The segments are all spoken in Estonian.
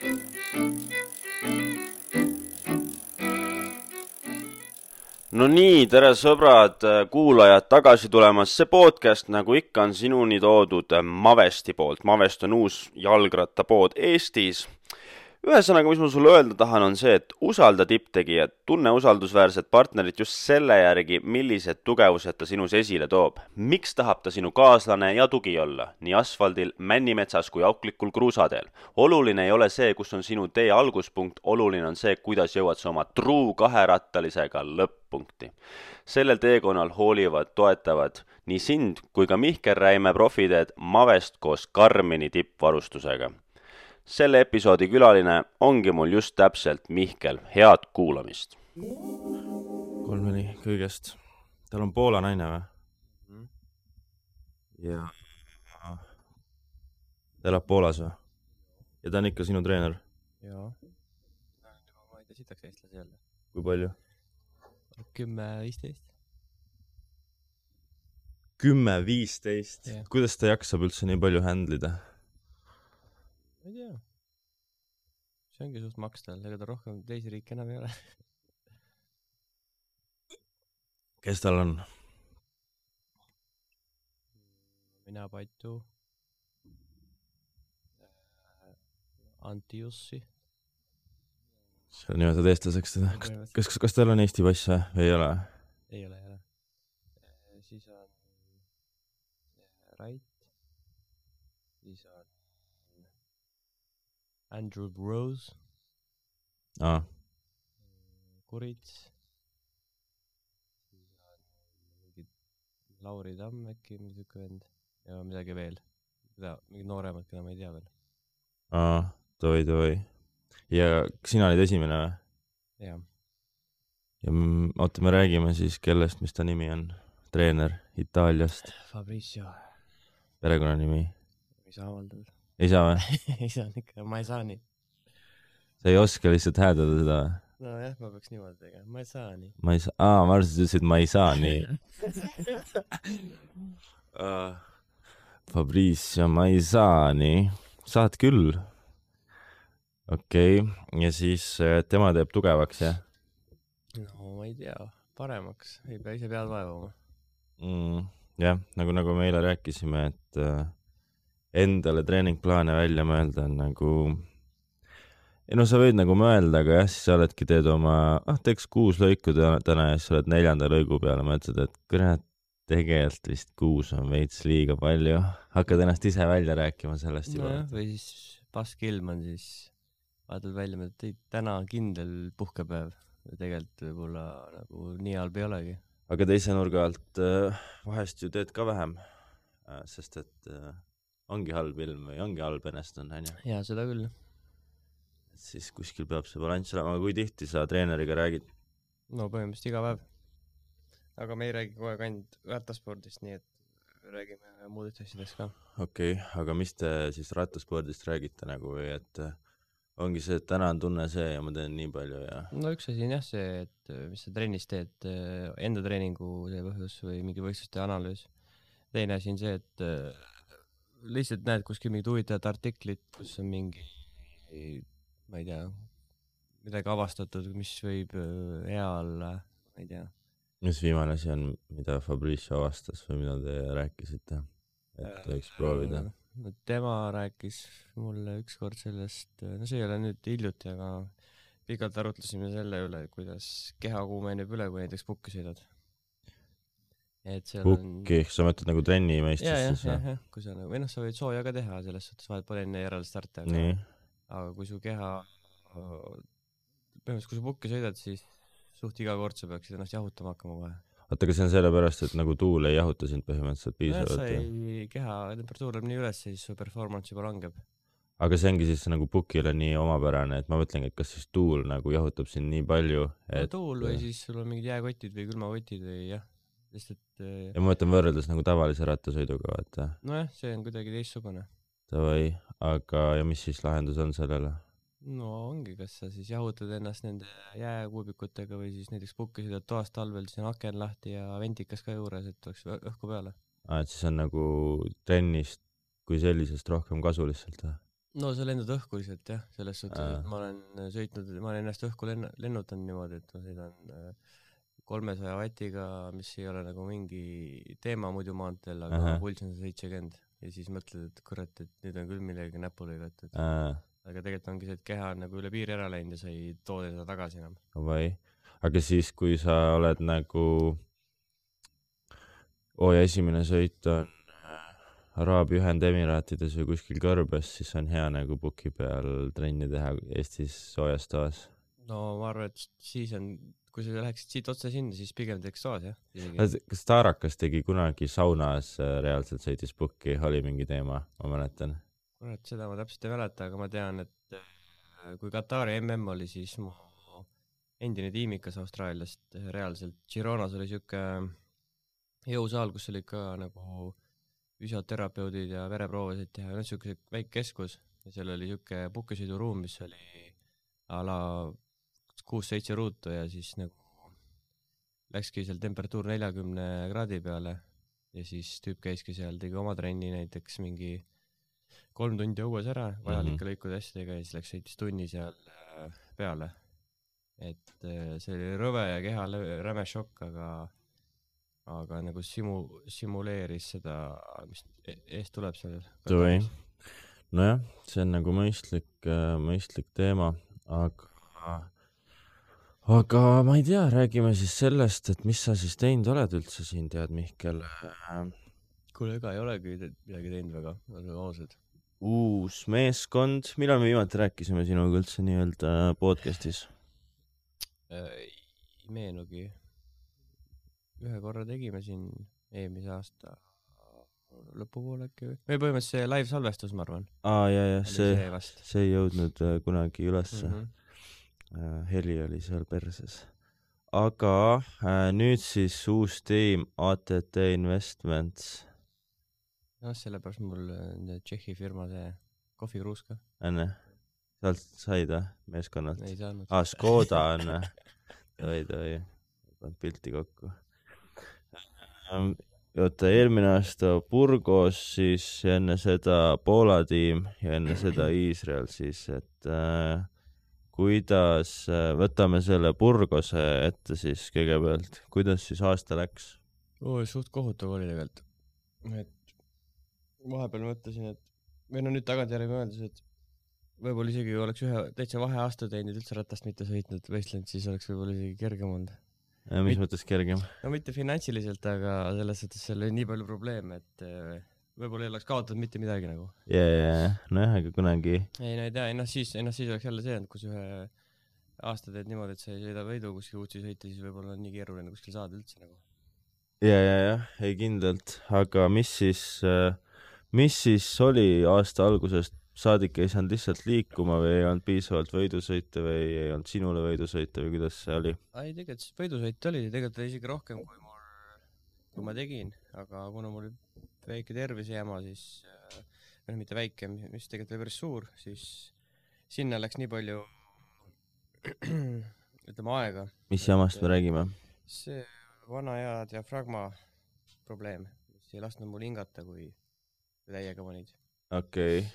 No nii, tere sõbrad, kuulajad tagasi tulemas. See podcast, nagu ikka, on sinuni toodud Mavesti poolt. Mavest on uus jalgrattapood Eestis. Ühesõnaga, mis ma sulle öelda tahan, on see, et usalda tipptegijat, tunne usaldusväärset partnerit just selle järgi, millised tugevused ta sinus esile toob. Miks tahab ta sinu kaaslane ja tugi olla, nii asfaldil, männimetsas kui auklikul kruusadeel? Oluline ei ole see, kus on sinu tee alguspunkt, oluline on see, kuidas jõuad sa oma truu kaherattalisega lõpp-punkti. Sellel teekonnal hoolivad, toetavad nii sind kui ka Mihkel Räime profiteed Mavest koos Karmini tippvarustusega. Selle episoodi külaline ongi mul just täpselt Mihkel. Head kuulamist. 3-4 kõigest. Tal on Poola naine või? Ja ta elab Poolas või? Ja ta on ikka sinu treener? Jaa. Ma ei tea, sitaks eestlasi jälle. Kui palju? 10-15. 10-15? Yeah. Kuidas ta jaksab üldse nii palju händlida? Ma ei tea. See ongi suht makstal, ega ta rohkem teisi riike enam ei ole. Kes tal on? Mina Patu. Antiussi. Sa nimetad eestlaseks teda. Kas tal on Eesti pass või ei ole? Ei ole. Siis on Rait. Siis on Andrew Rose. Kurits. Lauri Tamm äkki, midagi vend. Ja midagi veel. Mingid nooremad, keda ma ei tea veel. Toi. Ja sina olid esimene või? Jah. Ja oota, me räägime siis kellest, mis ta nimi on? Treener Itaaliast. Fabrizio. Perekonnanimi? Ei saa avaldada. Ei saa või? Ei saa ikka, ma ei saa nii. Sa ei oska lihtsalt häädada seda? No jah, ma peaks niimoodi tegema. Ma ei saa nii. Ma arvasin, et ütlesid, ma ei saa nii. Fabrizio, ma ei saa nii. Saad küll. Okei. Ja siis tema teeb tugevaks, jah? No ma ei tea. Paremaks. Ei pea ise pead vaevama. Jah, nagu me eile rääkisime, et endale treeningplaane välja mõelda on nagu... Ja no sa võid nagu mõelda, aga jah, siis sa oledki teed oma, teeks 6 lõiku täna ja siis sa oled 4. lõigu peale, mõtled, et kurat, tegelikult vist 6 on veits liiga palju. Hakkad ennast ise välja rääkima sellest juba. No või siis pask ilm on, siis vaatad välja, et täna on kindel puhkepäev. Tegelikult võib-olla nagu nii halb ei olegi. Aga teise nurga alt vahest ju teed ka vähem, sest et ongi halb ilm või ongi halb ennestun, on ju? Jaa, seda küll. Et siis kuskil peab see balanss olema, aga kui tihti sa treeneriga räägid? No põhimõtteliselt iga päev. Aga me ei räägi kogu aeg ainult rattaspordist, nii et räägime muudest asjadest ka. Okei, aga mis te siis rattaspordist räägite nagu või et ongi see, et täna on tunne see ja ma teen nii palju ja... No üks asi on jah see, et mis sa trennis teed, enda treeningu see põhjus või mingi võistluste analüüs. Teine asi on see, et lihtsalt näed kuskil mingid huvitavad artiklit, kus on mingi, ma ei tea, midagi avastatud, mis võib hea olla, ma ei tea. Mis viimane asi on, mida Fabrizio avastas või mida te rääkisite, et võiks proovida? No, tema rääkis mulle ükskord sellest, no see ei ole nüüd hiljuti, aga pikalt arutlesime selle üle, kuidas keha kuumeneb üle, kui näiteks pukki sõidad. Pukki, sa mõtled nagu trenni mõistes? Jah, kui sa nagu, või noh, sa võid sooja ka teha selles suhtes, vahet pole enne järele starti, aga kui su keha, põhimõtteliselt kui sa pukki sõidad, siis suht iga kord sa peaksid ennast jahutama hakkama kohe. Oota, kas see on sellepärast, et nagu tuul ei jahuta sind põhimõtteliselt piisavalt? Sa ei keha temperatuur läheb nii üles, siis su performance juba langeb. Aga see ongi siis nagu pukile nii omapärane, et ma mõtlengi, et kas siis tuul nagu jahutab sind nii palju, et... No tuul või siis sul on mingid jääkotid või külmakotid või jah. Ja ma mõtlen võrreldes nagu tavalise rattasõiduga, vaata. Nojah, see on kuidagi teistsugune. Tavai, aga ja mis siis lahendus on sellele? No ongi, kas sa siis jahutad ennast nende jääkuubikutega või siis näiteks pukki sõidad toast talvel, siis on aken lahti ja ventikas ka juures, et oleks õhku peale. Et siis on nagu trennist kui sellisest rohkem kasu lihtsalt või? no sa lendad õhku lihtsalt jah, selles suhtes, et ma olen ennast õhku lennutanud niimoodi, et ma sõidan 300 vatiga, mis ei ole nagu mingi teema muidu maanteel, aga pulss on 70 ja siis mõtled, et kurat, et nüüd on küll millegi näpu lõigatud. Aga tegelikult ongi see, et keha on nagu üle piiri ära läinud ja sa ei too teda tagasi enam. Või? Aga siis, kui sa oled nagu esimene sõit on Araabia Ühendemiraatides või kuskil kõrbes, siis on hea nagu puki peal trenni teha Eestis soojas toas. No ma arvan, et siis on, kui sa läheksid siit otse sinna, siis pigem teeks toas, jah. Kas Taarakas tegi kunagi saunas reaalselt sõitis pukki, oli mingi teema, ma mäletan. Kurat, seda ma täpselt ei mäleta, aga ma tean, et kui Katari MM oli, siis mu endine tiimikas Austraaliast reaalselt Gironas oli siuke jõusaal, kus oli ka nagu füsioterapeudid ja vereproovasid teha, siuke väike keskus ja seal oli siuke pukkisõiduruum, mis oli a la 6-7 ruutu ja siis nagu läkski seal temperatuur 40 kraadi peale ja siis tüüp käiski seal, tegi oma trenni näiteks mingi 3 tundi õues ära, vajalike lõikude asjadega ja siis läks sõitis tunni seal peale. Et see oli rõve ja keha räme šokk, aga nagu simuleeris seda, mis eest tuleb seal. Nojah, see on nagu mõistlik teema, aga ma ei tea, räägime siis sellest, et mis sa siis teinud oled üldse siin, tead Mihkel? Kuule, ega ei olegi midagi teinud väga ausad. Uus meeskond, millal me viimati rääkisime sinuga üldse nii-öelda podcastis? Ei meenugi. Ühe korra tegime siin eelmise aasta lõpupoole äkki või põhimõtteliselt see live salvestus, ma arvan. Ja, see ei jõudnud kunagi ülesse. Heli oli seal perses. Aga nüüd siis uus tiim ATT Investments. No sellepärast mul Tšehhi firma see kohvikruuska. Enne, sealt said meeskonnalt? Ei saanud. Škoda on. Toi, pannud pilti kokku. Oota, eelmine aasta Burgos, siis enne seda Poola tiim ja enne seda Iisrael siis, et kuidas, võtame selle Burgose ette siis kõigepealt, kuidas siis aasta läks? Suht kohutav oli tegelikult, et vahepeal mõtlesin, et või no nüüd tagantjärgi mõeldes, et võib-olla isegi oleks ühe täitsa vaheaasta teinud, üldse ratast mitte sõitnud võistlenud, siis oleks võib-olla isegi kergem olnud. Mis mõttes kergem? No mitte finantsiliselt, aga selles suhtes seal oli nii palju probleeme, et võib-olla ei oleks kaotatud mitte midagi nagu. Nojah, aga kunagi. Ei, no ei tea, ennast siis oleks jälle see, et kus ühe aasta teed niimoodi, et sa ei sõida võidu kuskil uudsi sõita, siis võib-olla on nii keeruline kuskil saada üldse nagu. Ei kindlalt, aga mis siis oli aasta algusest? Saadik ei saanud lihtsalt liikuma või ei olnud piisavalt võidusõite või ei olnud sinule võidusõite või kuidas see oli? Ei, tegelikult võidusõite oli, tegelikult isegi rohkem kui ma tegin, aga kuna mul oli väike tervisejama, siis mitte väike, mis tegelikult oli päris suur, siis sinna läks nii palju ütleme aega. Mis jamast me räägime? See vana hea diafragma probleem, mis ei lasknud mul hingata, kui täiega panid. Okei.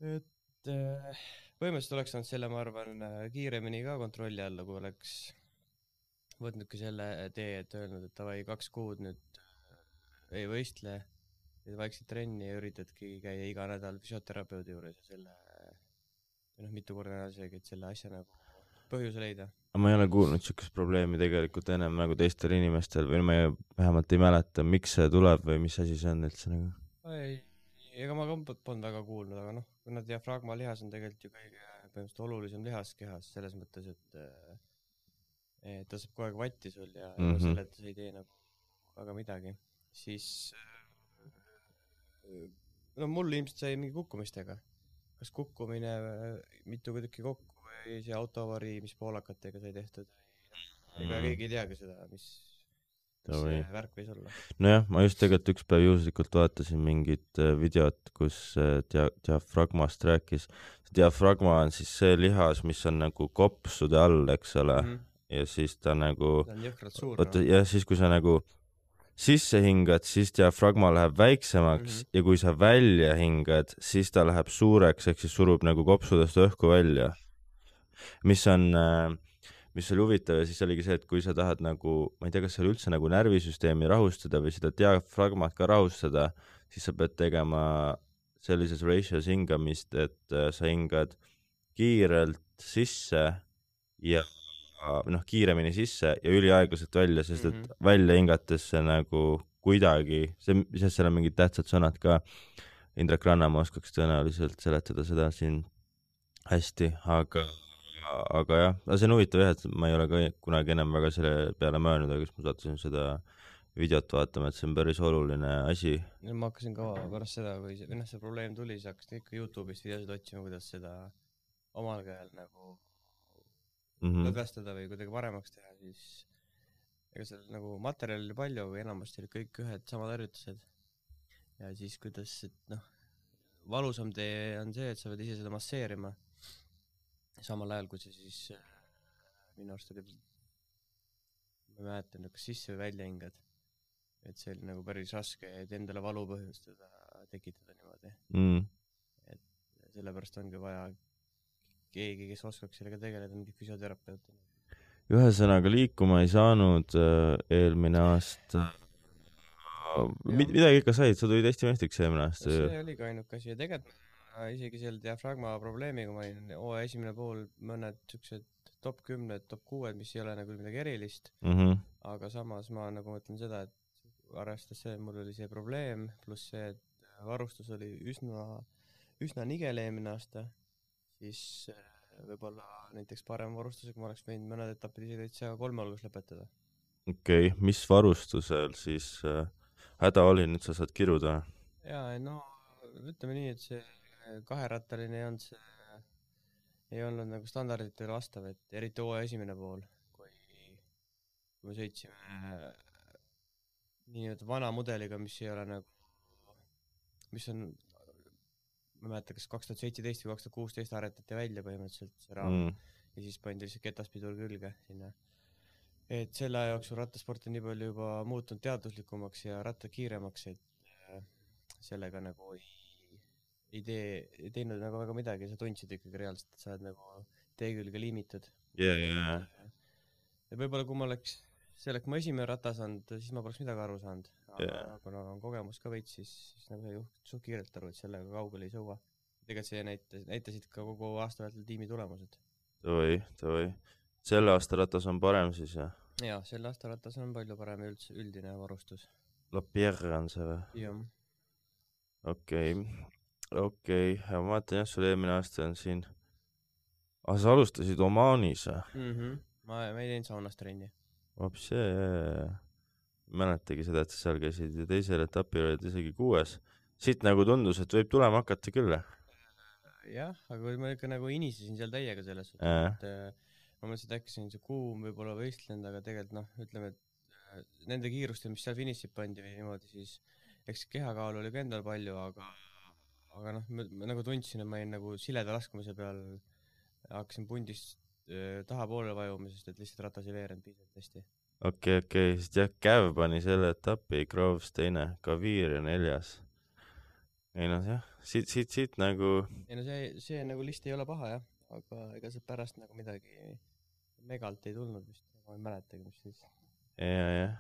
Et põhimõtteliselt oleks saanud selle, ma arvan, kiiremini ka kontrolli alla, kui oleks võtnudki selle tee, et öelnud, et davai 2 kuud nüüd ei võistle, vaikselt trenni ja üritadki käia iga nädal füsioterapeudi juures ja selle mitu korda nädal seegi, et selle asja nagu põhjuse leida. Ma ei ole kuulnud siukest probleemi tegelikult ennem nagu teistel inimestel või ma vähemalt ei mäleta, miks see tuleb või mis asi see on üldse nagu? Ega ma ka polnud väga kuulnud, aga kuna diafragma lihas on tegelikult ju kõige põhimõtteliselt olulisem lihas kehas selles mõttes, et ta saab kogu aeg vatti sul ja selle, et sa ei tee nagu väga midagi, siis mul ilmselt sai mingi kukkumistega. Kas kukkumine mitu tükki kokku või see autoavarii, mis poolakatega sai tehtud. Ega keegi ei teagi seda, mis see värk võis olla. Nojah, ma just tegelikult üks päev juhuslikult vaatasin mingit videot, kus diafragmast rääkis. Diafragma on siis see lihas, mis on nagu kopsude all, eks ole, ja siis ta nagu ta on jõhkralt suur. Ja siis, kui sa nagu sisse hingad, siis diafragma läheb väiksemaks ja kui sa välja hingad, siis ta läheb suureks, ehk siis surub nagu kopsudest õhku välja. Mis oli huvitav ja siis oligi see, et kui sa tahad nagu, ma ei tea, kas see oli üldse nagu närvisüsteemi rahustada või seda diafragmat ka rahustada, siis sa pead tegema sellises ratios hingamist, et sa hingad kiirelt sisse ja kiiremini sisse ja üliaeglaselt välja, sest et välja hingates see nagu kuidagi, sest seal on mingid tähtsad sõnad ka, Indrek Rannamaa oskaks tõenäoliselt seletada seda siin hästi, aga jah, see on huvitav jah, et ma ei ole ka kunagi enam väga selle peale mõelnud, aga siis ma sattusin seda videot vaatama, et see on päris oluline asi. Ma hakkasin ka pärast seda, kui see probleem tuli, siis hakkasin ikka YouTube'ist videosid otsima, kuidas seda omal käel nagu lõdvestada või kuidagi paremaks teha, siis ega seal nagu materjali oli palju, aga enamasti olid kõik ühed samad harjutused. Ja siis kuidas, et valusam tee on see, et sa pead ise seda masseerima. Samal ajal, kui see siis minu arust oli, ma mäletan, kas sisse või välja hingad. Et see oli nagu päris raske, et endale valu põhjustada, tekitada niimoodi. Et sellepärast ongi vaja keegi, kes oskaks sellega tegeleda, mingi füsioterapeut. Ühesõnaga liikuma ei saanud eelmine aasta. Midagi ikka said, sa tulid Eesti meistriks eelmine aasta. See oli ka ainuke asi ja tegelikult isegi selle diafragma probleemiga ma olin esimene pool mõned siuksed top 10, top 6, mis ei ole nagu midagi erilist, aga samas ma nagu mõtlen seda, et arvestades see, mul oli see probleem, pluss see, et varustus oli üsna nigel eelmine aasta, siis võib-olla näiteks parem varustusega ma oleks võinud mõned etapid isegi täitsa 3 hulgas lõpetada. Okei, mis varustusel siis häda oli, nüüd sa saad kiruda? Jaa, ütleme nii, et see kaherattaline ei olnud nagu standarditele vastav, et eriti esimene pool, kui me sõitsime nii-öelda vana mudeliga, mis ei ole nagu, mis on ma mäletan, kas 2017 või 2016 aretati välja põhimõtteliselt see raam ja siis pandi lihtsalt ketaspidur külge sinna. Et selle aja jooksul rattasport on nii palju juba muutunud teaduslikumaks ja ratta kiiremaks, et sellega nagu ei teinud nagu väga midagi, sa tundsid ikkagi reaalselt, et sa oled nagu tee külge liimitud. Ja võib-olla kui ma oleks ma esimene ratas olnud, siis ma poleks midagi aru saanud. Aga kuna on kogemus ka veits, siis nagu sa juht suht kiirelt aru, et sellega kaugele ei sõua. Tegelikult see näitasid ka kogu aasta vältel tiimi tulemused. Tõi. Selle aasta ratas on parem siis, jah? Jaa, selle aasta ratas on palju parem üldine varustus. La Pierre on see või? Jah. Okei. Ma vaatan jah, sul eelmine aasta on siin. Sa alustasid Omaanis? Ma ei teinud saunas trenni. Mäletagi seda, et sa seal käisid ja teisel etapil olid isegi 6. Siit nagu tundus, et võib tulema hakata küll. Jah, aga ma ikka nagu inisesin seal täiega selles, et ma mõtlesin, et äkki see on see kuum võib-olla võistlend, aga tegelikult ütleme, et nende kiirustel, mis seal finišid pandi või niimoodi, siis eks kehakaalu oli ka endal palju, aga ma nagu tundsin, et ma olin nagu sileda laskumise peal, hakkasin pundist taha poole vajumisest, et lihtsalt ratas ei veerend piisavalt hästi. Okei, siis jah, Käv pani selle etapi, Groves 2, Kaviir ja 4. Ei jah, siit nagu... See nagu list ei ole paha jah, aga ega see pärast nagu midagi megalt ei tulnud vist, ma ei mäletagi, mis siis. Jah.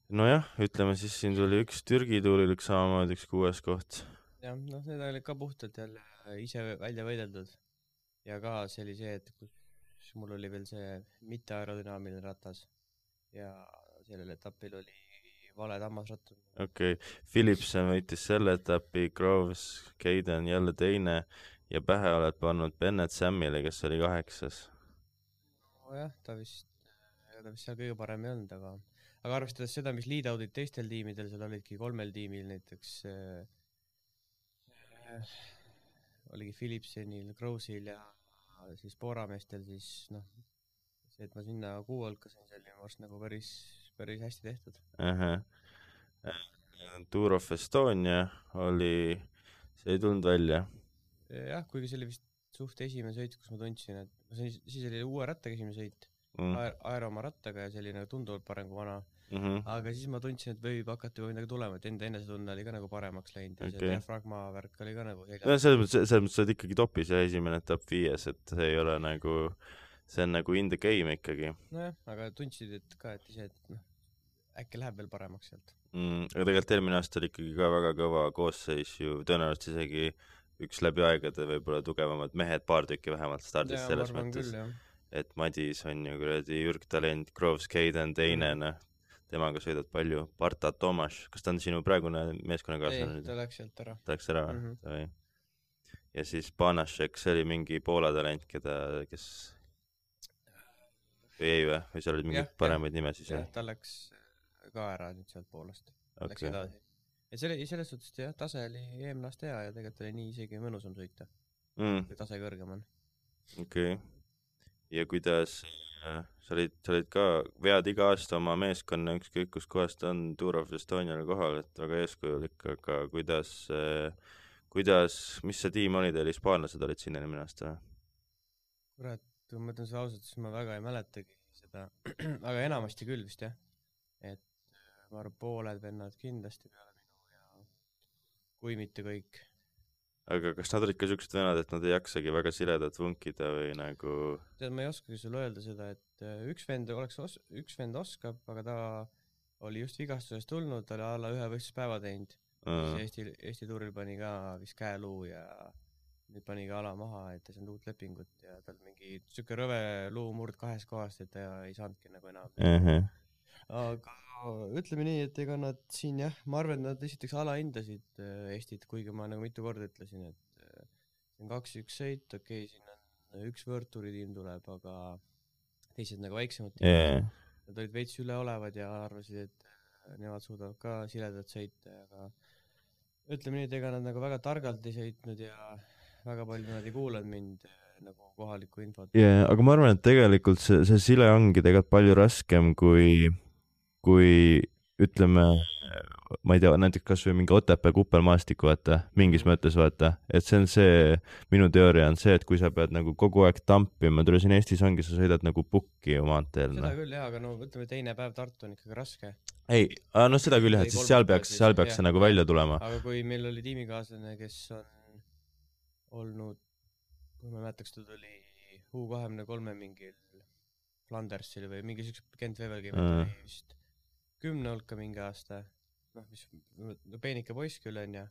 Nojah, ütleme siis siin tuli üks Türgi tuulil, üks samamoodi, üks 6. koht. Jah, need oli ka puhtalt jälle ise välja võideldud. Ja ka see oli see, et kus mul oli veel see mitte aerodünaamiline ratas ja sellel etapil oli vale tammasrattur. Okei, Philipsen võitis selle etapi, Groves, Caden jälle 2 ja pähe oled pannud Bennett Sammile, kes oli 8. Jah, ta vist seal kõige parem ei olnud, aga arvestades seda, mis lead-out'id teistel tiimidel, seal olidki 3 tiimil näiteks oligi Philipsenil, Grovesil ja siis Poorameestel, siis see, et ma sinna 6 hulkasin, see oli minu arust nagu päris hästi tehtud. Tour of Estonia oli, see ei tulnud välja. Jah, kuigi see oli vist suht esimene sõit, kus ma tundsin, et siis oli uue rattaga esimene sõit, aero oma rattaga ja see oli nagu tunduvalt parem kui vana. aga siis ma tundsin, et võib hakata juba midagi tulema, et enda enesetunne oli ka nagu paremaks läinud ja see diafragma värk oli ka nagu selles mõttes sa oled ikkagi topis ja esimene top 5, et see ei ole nagu, see on nagu in the game ikkagi. Nojah, aga tundsid, et ka, et ise, et noh, äkki läheb veel paremaks sealt. Aga tegelikult eelmine aasta oli ikkagi ka väga kõva koosseis ju, tõenäoliselt isegi üks läbi aegade võib-olla tugevamad mehed, paar tükki vähemalt stardis selles mõttes. Et Madis on ju kuradi Jürg Talent, Groves Caden teine, temaga sõidad palju. Barta Tomas, kas ta on sinu praegune meeskonnakaaslane? Ei, ta läks sealt ära. Ta läks ära, ja siis Panašek, see oli mingi Poola talent, kes või seal olid mingid paremaid nimesid? Jah, ta läks ka ära nüüd sealt Poolast. Läks edasi. Ja selles suhtes, jah, tase oli eelmine aasta hea ja tegelikult oli nii isegi mõnusam sõita. Kui tase kõrgem on. Okei. Ja kuidas sa olid ka, vead iga aasta oma meeskonna ükskõik kus kohast on Tour of Estonial kohal, et väga eeskujulik, aga kuidas, mis see tiim oli teil, hispaanlased olid sinna eelmine aasta? Kurat, kui ma ütlen seda ausalt, siis ma väga ei mäletagi seda, aga enamasti küll vist jah, et ma arvan, pooled vennad kindlasti peale minu ja kui mitte kõik. Aga kas nad olid ka siuksed vennad, et nad ei jaksagi väga siledat vunkida või nagu... Tead, ma ei oskagi sulle öelda seda, et üks vend oskab, aga ta oli just vigastusest tulnud, ta oli alla 1 võistluspäeva teinud. Eesti tuuril pani ka vist käeluu ja nüüd pani ka ala maha, et ta saanud uut lepingut ja tal mingi siuke rõve luu murd 2 kohast, et ta ei saanudki nagu enam. Aga ütleme nii, et ega nad siin jah, ma arvan, et nad esiteks alahindasid Eestit, kuigi ma nagu mitu korda ütlesin, et see on 2-1 sõit, okei, siin on üks võõrtuuri tiim tuleb, aga teised nagu väiksemad tiimid. Nad olid veits üleolevad ja arvasid, et nemad suudavad ka siledat sõita, aga ütleme nii, et ega nad nagu väga targalt ei sõitnud ja väga palju nad ei kuulanud mind nagu kohalikku infot. Aga ma arvan, et tegelikult see sile ongi tegelikult palju raskem kui ütleme, ma ei tea, näiteks kas või mingi Otepää kuppelmaastik, vaata, mingis mõttes vaata, et see on see, minu teooria on see, et kui sa pead nagu kogu aeg tampima, tule siin Eestis ongi, sa sõidad nagu pukki ju maanteel. Seda küll jah, aga no ütleme teine päev Tartu on ikkagi raske. Ei, no seda küll jah, et siis seal peaks see nagu välja tulema. Aga kui meil oli tiimikaaslane, kes on olnud, kui ma mäletaks, ta tuli U23 mingil Flandersil või mingi siukse Gent Wevelgi oli vist 10 hulka mingi aasta, mis peenike poiss küll on ja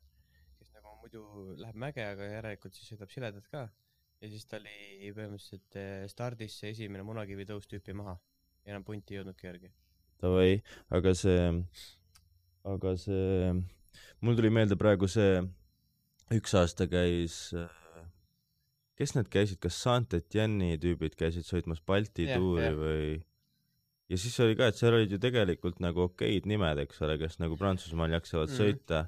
kes nagu muidu läheb mäge, aga järelikult siis sõidab siledat ka ja siis ta oli põhimõtteliselt stardis see esimene munakivi tõus tüüpi maha ja enam punti ei jõudnudki järgi. Tavai, aga mul tuli meelde praegu see üks aasta käis, kes need käisid, kas Saint-Etienne'i tüübid käisid sõitmas Balti tuuri või... Ja siis oli ka, et seal olid ju tegelikult nagu okeid nimed, eks ole, kes nagu Prantsusmaal jaksavad sõita,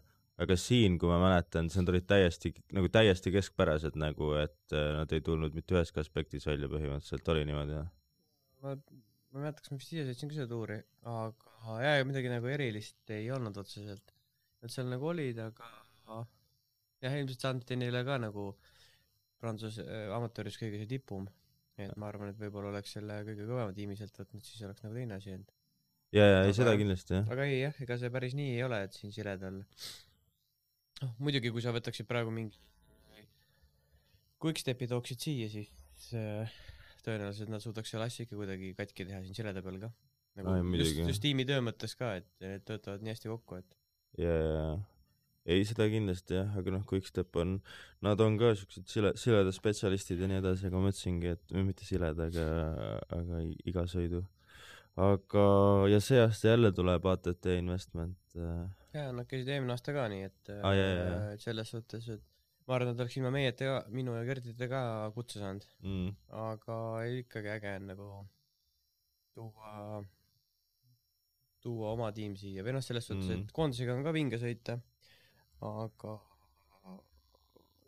aga siin, kui ma mäletan, see olid täiesti keskpärased nagu, et nad ei tulnud mitte üheski aspektis välja põhimõtteliselt, oli niimoodi, jah? Ma mäletaks, ma vist ise sõitsin ka seda tuuri, aga midagi nagu erilist ei olnud otseselt. Nad seal nagu olid, aga jah, ilmselt Saint-Etienne'ile ka nagu Prantsuse amatööris kõige see tipum. Et ma arvan, et võib-olla oleks selle kõige kõvema tiimi sealt võtnud, siis oleks nagu teine asi. Ei, seda kindlasti, jah. Aga ei, jah, ega see päris nii ei ole, et siin siledal... muidugi, kui sa võtaksid praegu mingi quickstepi tooksid siia, siis tõenäoliselt nad suudaks seal asja ikka kuidagi katki teha siin sileda peal ka. Nagu just tiimi töö mõttes ka, et need töötavad nii hästi kokku, et... Ei, seda kindlasti jah, aga Quickstep on, nad on ka siuksed sileda spetsialistid ja nii edasi, aga ma mõtlesingi, et mitte sileda, aga iga sõidu. Aga, ja see aasta jälle tuleb ATT Investment. Nad käisid eelmine aasta ka nii, et selles suhtes, et ma arvan, et oleks ilma minu ja Gerdite ka kutse saanud. Aga ikkagi äge on nagu tuua oma tiim siia. Või selles suhtes, et koondisega on ka vinge sõita. Aga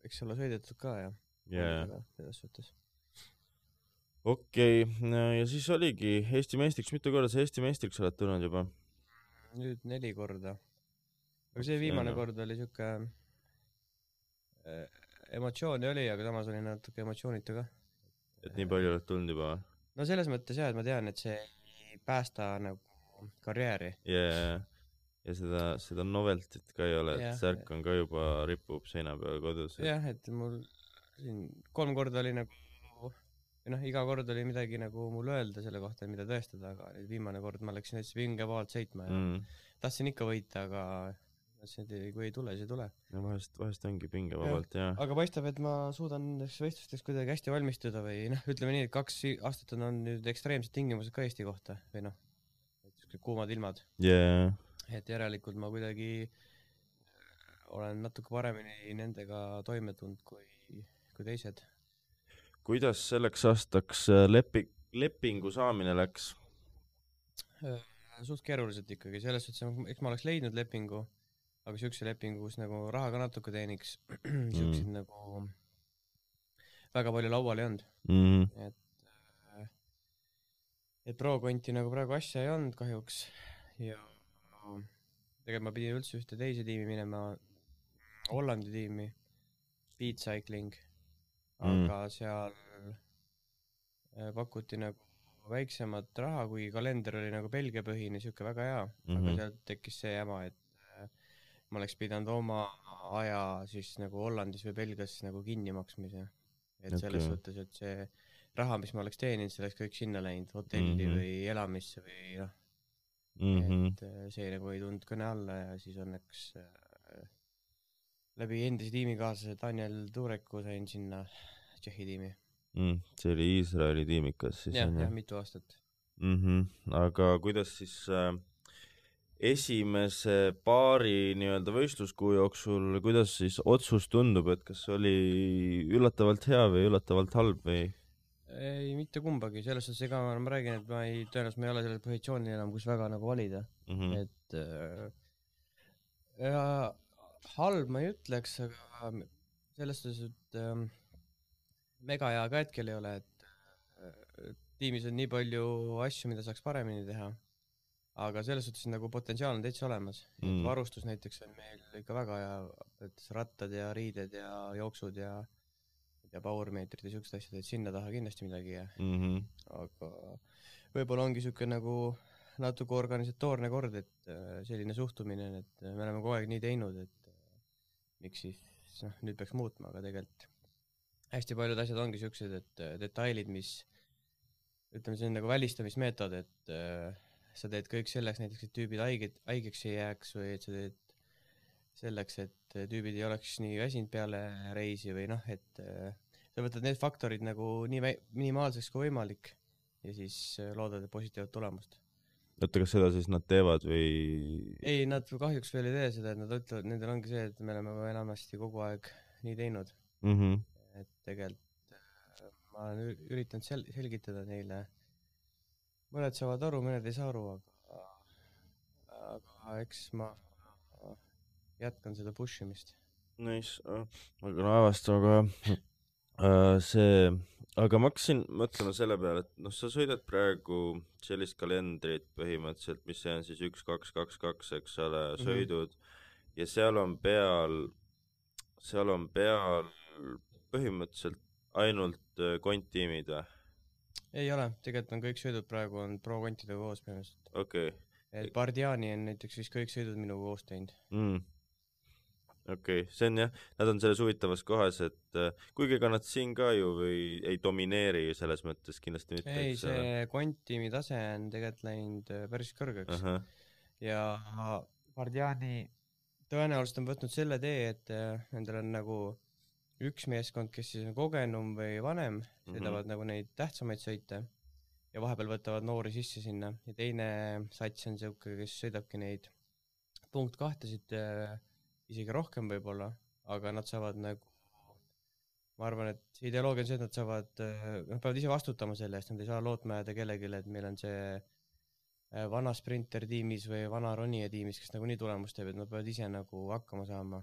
eks ole sõidetud ka selles suhtes. Okei, ja siis oligi Eesti meistriks, mitu korda sa Eesti meistriks oled tulnud juba? Nüüd 4 korda. Aga see viimane kord oli siuke emotsiooni oli, aga samas oli natuke emotsioonita ka. Et nii palju oled tulnud juba? No selles mõttes jah, et ma tean, et see ei päästa nagu karjääri . ja seda noveltit ka ei ole , et Jah. särk on ka juba ripub seina peal kodus . jah , et mul siin 3 korda oli nagu , või noh , iga kord oli midagi nagu mul öelda selle kohta , mida tõestada , aga nüüd viimane kord ma läksin hästi pingevabalt sõitma ja tahtsin ikka võita , aga mõtlesin , et kui ei tule , siis ei tule . no vahest ongi pingevabalt ja aga paistab , et ma suudan nendeks võistlusteks kuidagi hästi valmistuda või noh , ütleme nii , et 2 aastat on olnud nüüd ekstreemsed tingimused ka Eesti kohta või noh , kuumad ilmad , et järelikult ma kuidagi olen natuke paremini nendega toime tulnud kui teised . kuidas selleks aastaks lepingu saamine läks ? suht keeruliselt ikkagi , selles suhtes , eks ma oleks leidnud lepingu , aga siukse lepingu , kus nagu raha ka natuke teeniks , siukseid nagu väga palju laual ei olnud . et pro-konti nagu praegu asja ei olnud kahjuks ja tegelikult ma pidin üldse ühte teise tiimi minema , Hollandi tiimi , Beat Cycling , aga seal pakuti nagu väiksemat raha , kuigi kalender oli nagu Belgia põhine , siuke väga hea , aga sealt tekkis see jama , et ma oleks pidanud oma aja siis nagu Hollandis või Belgias nagu kinni maksmise . et selles suhtes , et see raha , mis ma oleks teeninud , see oleks kõik sinna läinud , hotelli või elamisse või noh , et see nagu ei tulnud kõne alla ja siis õnneks läbi endise tiimikaaslase Daniel Tureku sain sinna Tšehhi tiimi . see oli Iisraeli tiimikas siis jah , mitu aastat . aga kuidas siis esimese paari nii-öelda võistluskuu jooksul , kuidas siis otsus tundub , et kas oli üllatavalt hea või üllatavalt halb või ? ei , mitte kumbagi , selles suhtes , ega ma räägin , et tõenäoliselt ma ei ole sellel positsioonil enam , kus väga nagu valida . et ja halb ma ei ütleks , aga selles suhtes , et mega hea ka hetkel ei ole , et tiimis on nii palju asju , mida saaks paremini teha , aga selles suhtes nagu potentsiaal on täitsa olemas . varustus näiteks on meil ikka väga hea , et rattad ja riided ja jooksud ja powermeetrid ja siuksed asjad , et sinna taha kindlasti midagi jää . aga võib-olla ongi siuke nagu natuke organisatoorne kord , et selline suhtumine , et me oleme kogu aeg nii teinud , et miks siis noh , nüüd peaks muutma , aga tegelikult hästi paljud asjad ongi siuksed , et detailid , mis ütleme , see on nagu välistamismeetod , et sa teed kõik selleks näiteks , et tüübid haigeks ei jääks või et sa teed selleks , et tüübid ei oleks nii väsinud peale reisi või noh , et sa võtad need faktorid nagu nii minimaalseks kui võimalik ja siis loodad positiivset tulemust . oota , kas seda siis nad teevad või ? ei , nad kahjuks veel ei tee seda , et nad ütlevad , nendel ongi see , et me oleme enamasti kogu aeg nii teinud . et tegelikult ma olen üritanud selgitada neile , mõned saavad aru , mõned ei saa aru , aga eks ma jätkan seda push imist . Nice , aga no avastama ka see , aga ma hakkasin mõtlema selle peale , et noh , sa sõidad praegu sellist kalendrit põhimõtteliselt , mis see on siis 1, 2, 2, 2 , eks ole , sõidud ja seal on peal põhimõtteliselt ainult konttiimid või ? ei ole , tegelikult on kõik sõidud praegu on pro-kontidega koos põhimõtteliselt . okei . et Bardiani on näiteks vist kõik sõidud minuga koos teinud . okei , see on jah , nad on selles huvitavas kohas , et kuigi ega nad siin ka ju või ei domineeri selles mõttes kindlasti mitte . ei , see konttiimi tase on tegelikult läinud päris kõrgeks . ja Bardiani tõenäoliselt on võtnud selle tee , et nendel on nagu üks meeskond , kes siis on kogenum või vanem , sõidavad nagu neid tähtsamaid sõite ja vahepeal võtavad noori sisse sinna ja teine sats on siuke , kes sõidabki neid punkt 2-sid isegi rohkem võib-olla , aga nad saavad nagu , ma arvan , et ideoloogia on see , et nad saavad , nad peavad ise vastutama selle eest , nad ei saa lootma jääda kellelegi , et meil on see vana sprinter tiimis või vana ronija tiimis , kes nagunii tulemust teeb , et nad peavad ise nagu hakkama saama .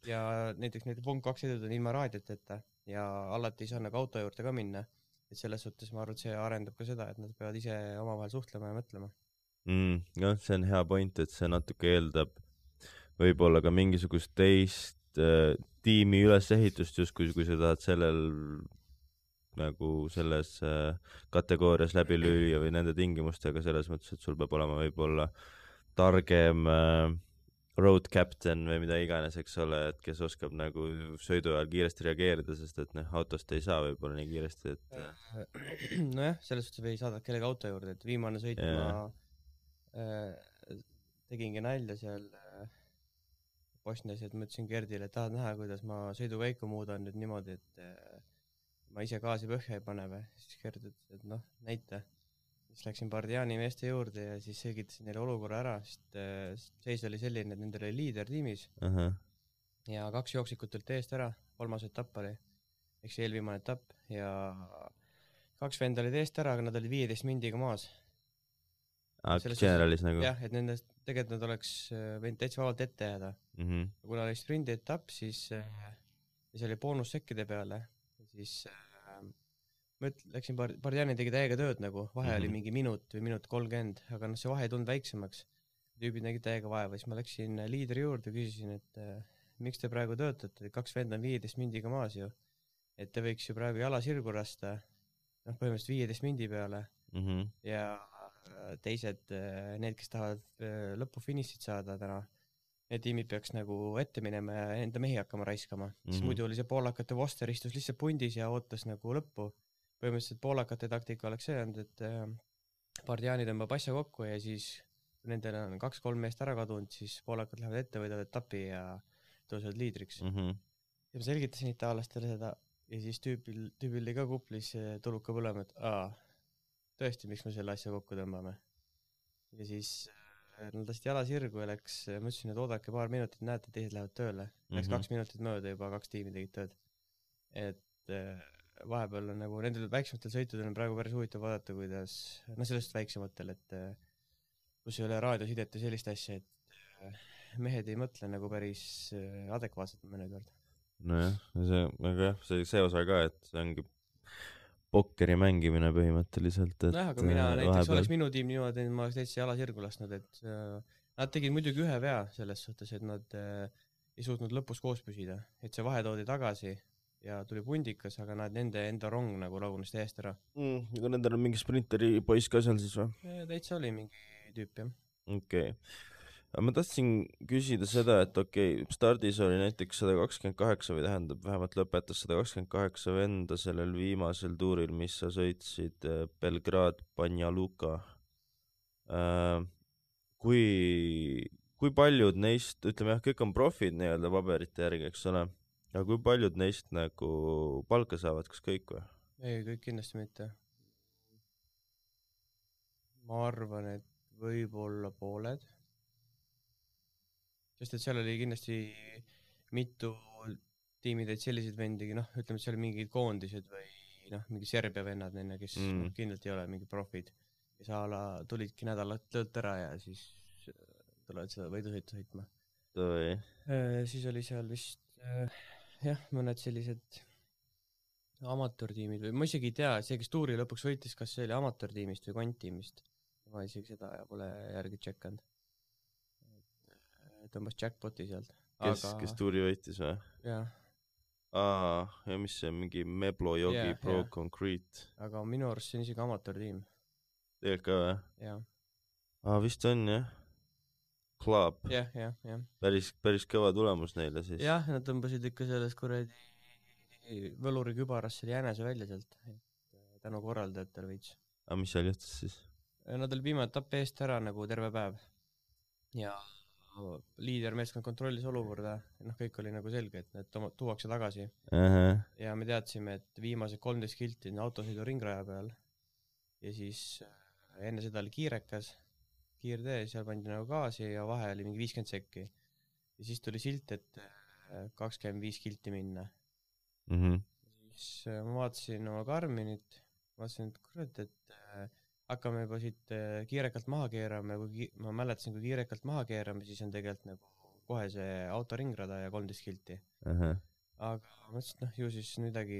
ja näiteks need punkt 2 sõidud on ilma raadioteta ja alati ei saa nagu auto juurde ka minna , et selles suhtes ma arvan , et see arendab ka seda , et nad peavad ise omavahel suhtlema ja mõtlema . jah , see on hea point , et see natuke eeldab võib-olla ka mingisugust teist tiimi ülesehitust justkui , kui sa tahad sellel nagu selles kategoorias läbi lüüa või nende tingimustega selles mõttes, et sul peab olema võib-olla targem road captain või mida iganes, eks ole, et kes oskab nagu sõidu ajal kiiresti reageerida, sest et autost ei saa võib-olla nii kiiresti, et nojah, selles suhtes või saadad kellegi auto juurde, et viimane sõit ma tegingi nalja seal Bosnias, et ma ütlesin Gerdile, et tahad näha, kuidas ma sõidukäiku muudan nüüd niimoodi, et ma ise gaasi põhja ei pane või, siis Gerd ütles, et näita. Siis läksin Bardiani meeste juurde ja siis selgitasin neile olukorra ära, sest seis oli selline, et nendel oli liider tiimis ja 2 jooksikut olid eest ära, 3. etapp oli, eks eelviimane etapp ja 2 venda olid eest ära, aga nad olid 15 mindiga maas. generalis nagu? Jah, et nendest tegelikult nad oleks võinud täitsa vabalt ette jääda. Kuna oli sprindi etapp, siis oli boonussekkide peale, siis ma läksin Bardiani tegi täiega tööd nagu, vahe oli mingi minut või minut 30, aga see vahe ei tulnud väiksemaks. Tüübid nägid täiega vaeva, siis ma läksin liidri juurde, küsisin, et miks te praegu töötate, 2 venda on 15 mindiga maas ju, et te võiks ju praegu jala sirgu rasta, põhimõtteliselt 15 mindi peale ja teised, need, kes tahavad lõpu finišit saada täna, need tiimid peaks nagu ette minema ja enda mehi hakkama raiskama. Siis muidu oli see poolakate Voster istus lihtsalt pundis ja ootas nagu lõppu. Põhimõtteliselt poolakate taktika oleks see olnud, et Bardiani tõmbab asja kokku ja siis nendel on 2-3 meest ära kadunud, siis poolakad lähevad ette, võidavad etapi ja tõusevad liidriks. Ja ma selgitasin itaallastele seda ja siis tüübil oli ka kuplis tuluka põlema, et tõesti, miks me selle asja kokku tõmbame. Ja siis nad lasti jala sirgu ja ma ütlesin, et oodake paar minutit, näete, teised lähevad tööle. Läks 2 minutit mööda, juba 2 tiimi tegid tööd. Et vahepeal on nagu, nendel väiksematel sõitudel on praegu päris huvitav vaadata, kuidas, sellest väiksematel, et kus ei ole raadiosidet ja sellist asja, et mehed ei mõtle nagu päris adekvaatselt mõnikord. Nojah, see osa ka, et see ongi pokkeri mängimine põhimõtteliselt, et aga mina näiteks oleks minu tiim niimoodi, et ma oleks täitsa jala sirgu lasknud, et nad tegid muidugi ühe vea selles suhtes, et nad ei suutnud lõpus koos püsida, et see vahe toodi tagasi ja tuli pundikas, aga nende enda rong nagu lagunes täiesti ära. Aga nendel on mingi sprinteri poiss ka seal siis või? Täitsa oli mingi tüüp, jah. Okei. Ma tahtsin küsida seda, et stardis oli näiteks 128 või tähendab, vähemalt lõpetas 128 venda sellel viimasel tuuril, mis sa sõitsid Belgrad, Banja Luka. Kui paljud neist, ütleme jah, kõik on profid nii-öelda paberite järgi, eks ole, aga kui paljud neist nagu palka saavad, kas kõik või? Ei, kõik kindlasti mitte. Ma arvan, et võib-olla pooled. Sest et seal oli kindlasti mitu tiimid, et selliseid vendigi, ütleme, et seal oli mingid koondised või mingi Serbia vennad, kes kindlasti ei ole mingi profid. Ja sa tulidki nädalat töölt ära ja siis tulevad seda võidusõitu sõitma. Siis oli seal vist mõned sellised amatöörtiimid või ma isegi ei tea, see, kes tuuri lõpuks võitis, kas see oli amatöörtiimist või kvanttiimist. Ma isegi seda pole järgi tšekkanud. Tõmbas jackpoti sealt. Kes tuuri võitis või? Jah. Ja mis see, mingi Meblo Jogi Pro Concrete? Aga minu arust see on isegi amatöörtiim. Tegelikult ka või? Jah. Vist on jah. Club. Jah. Päris kõva tulemus neile siis. Jah, nad tõmbasid ikka selles kuradi võluri kübaras selle jänese välja sealt. Tänu korraldajatel veits. Mis seal juhtus siis? Nad oli viimane etapp eest ära nagu terve päev. Ja liider meeskond kontrollis olukorda, kõik oli nagu selge, et need tuuakse tagasi. Ja me teadsime, et viimased 13 kilti on autosõidu ringraja peal ja siis enne seda oli kiirtee, seal pandi nagu gaasi ja vahe oli mingi 50 sekki. Ja siis tuli silt, et 25 kilti minna. Siis ma vaatasin oma Garminit, vaatasin, et kurat, et hakkame juba siit kiirekalt maha keerama ja ma mäletasin, kui kiirekalt maha keerame, siis on tegelikult nagu kohe see auto ringrada ja 13 kilti. Aga mõtlesin, ju siis midagi,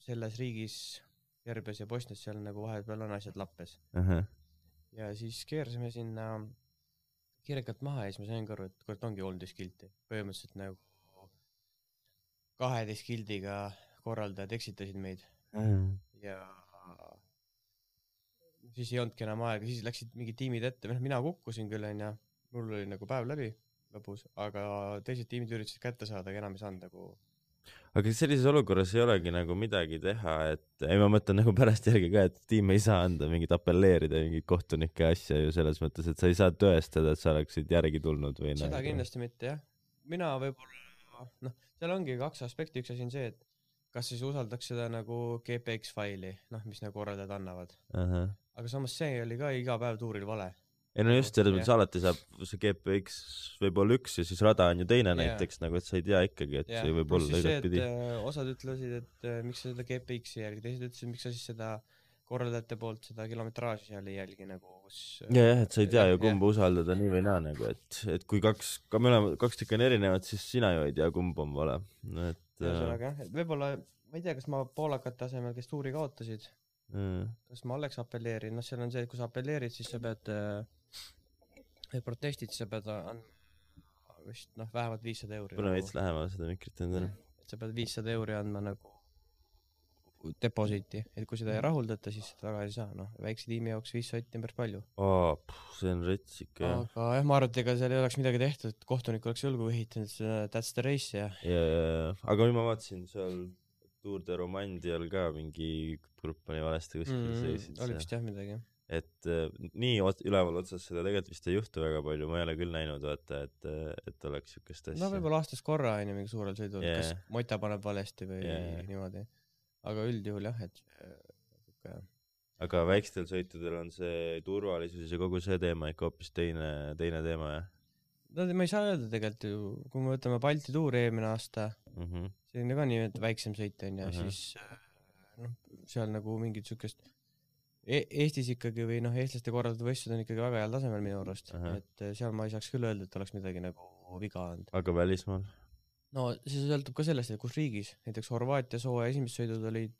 selles riigis, Serbias ja Bosnias seal nagu vahepeal on asjad lappes. Ja siis keersime sinna kiirekalt maha ja siis ma sain kõrvu, et kurat ongi 13 kilti. Põhimõtteliselt nagu 12 kildiga korraldajad eksitasid meid. ja siis ei olnudki enam aega, siis läksid mingid tiimid ette, mina kukkusin küll onju, mul oli nagu päev läbi lõpus, aga teised tiimid üritasid kätte saada, aga enam ei saanud nagu. aga sellises olukorras ei olegi nagu midagi teha, et ei, ma mõtlen nagu pärast järgi ka, et tiim ei saa anda mingit apelleerida mingit kohtunike asja ju selles mõttes, et sa ei saa tõestada, et sa oleksid järgi tulnud või seda nagu. kindlasti mitte jah, mina võib-olla seal ongi kaks aspekti, üks asi on see, et kas siis usaldaks seda nagu GPX faili, mis nagu korraldajad annavad, aga samas see oli ka iga päev tuuril vale. ei no just, selles mõttes alati saab see GPX võib olla üks ja siis rada on ju teine näiteks nagu, et sa ei tea ikkagi, et see võib olla igatpidi. osad ütlesid, et miks sa seda GPX-i jälgi, teised ütlesid, miks sa siis seda korraldajate poolt seda kilometraaži seal ei jälgi nagu, kus jah, et sa ei tea ju kumba usaldada nii või naa nagu, et kui kaks tükki on erinevad, siis sina ju ei tea, kumb on vale. ühesõnaga jah, et võib-olla, ma ei tea, kas ma poolakate asemel, kes tuuri kaotasid, kas ma oleks apelleerinud, seal on see, et kui sa apelleerid, siis sa pead protestid, siis sa pead andma vist vähemalt 500 €. Pane veits lähemal seda mikrit endale. Et sa pead 500 € andma nagu deposiiti, et kui seda ei rahuldata, siis seda tagasi ei saa, väikse tiimi jaoks 500 on päris palju. See on rets ikka. Aga jah, ma arvan, et ega seal ei oleks midagi tehtud, et kohtunik oleks julgu ehitanud, that's the race ja. Aga nüüd ma vaatasin seal Tour de Romandial ka mingi grupp oli valesti kuskil seisid. Oli vist jah midagi. Et nii üleval otsas seda tegelikult vist ei juhtu väga palju, ma ei ole küll näinud, vaata, et oleks siukest asja. Võib-olla aastas korra on ju mingi suurel sõidul, kas Mota paneb valesti või niimoodi. Aga üldjuhul jah, et aga väikstel sõitudel on see turvalisus ja kogu see teema ikka hoopis teine teema, jah? Ma ei saa öelda tegelikult ju, kui me võtame Balti tuuri eelmine aasta, see on ka nii, et väiksem sõit on ja siis seal nagu mingit siukest Eestis ikkagi või eestlaste korraldatud võistlused on ikkagi väga heal tasemel minu arust, et seal ma ei saaks küll öelda, et oleks midagi nagu viga olnud. Aga välismaal? No see sõltub ka sellest, et kus riigis, näiteks Horvaatia sooja esimesed sõidud olid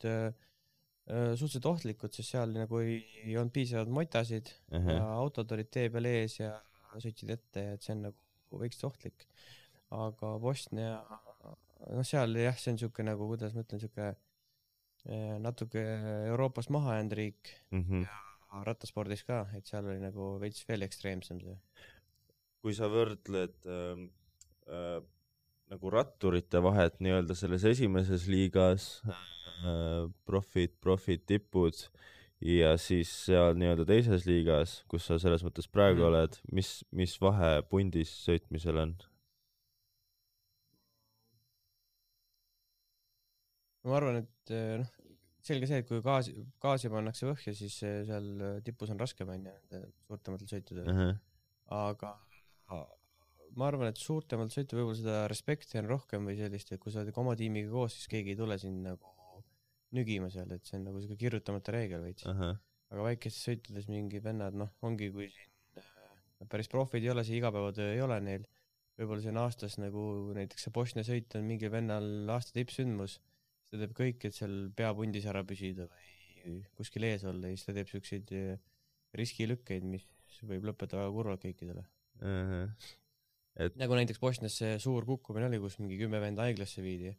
suhteliselt ohtlikud, sest seal nagu ei olnud piisavalt motasid ja autod olid tee peal ees ja sõitsid ette, et see on nagu veits ohtlik. Aga Bosnia, seal jah, see on siuke nagu, kuidas ma ütlen, siuke natuke Euroopast maha jäänud riik ja rattaspordis ka, et seal oli nagu veits veel ekstreemsem see. Kui sa võrdled nagu ratturite vahet nii-öelda selles esimeses liigas, profid, tipud ja siis seal nii-öelda teises liigas, kus sa selles mõttes praegu oled, mis vahe pundis sõitmisel on? Ma arvan, et selge see, et kui gaasi pannakse põhja, siis seal tipus on raskem suurtematel sõitudel. Aga ma arvan, et suurtematel sõitu võib-olla seda respekti on rohkem või sellist, et kui sa oled oma tiimiga koos, siis keegi ei tule siin nagu nügima seal, et see on nagu siuke kirjutamata reegel veits. Aga väikestes sõitudes mingi vennad, ongi kui siin päris profid ei ole, see igapäevatöö ei ole neil. Võib-olla see on aastas nagu näiteks see Bosnia sõit on mingi vennal aasta tippsündmus. Ta teeb kõik, et seal peapundis ära püsida või kuskil ees olla ja siis ta teeb siukseid riskilükkeid, mis võib lõpetada väga kurvalt kõikidele. Nagu näiteks Bosnias see suur kukkumine oli, kus mingi 10 venda haiglasse viidi.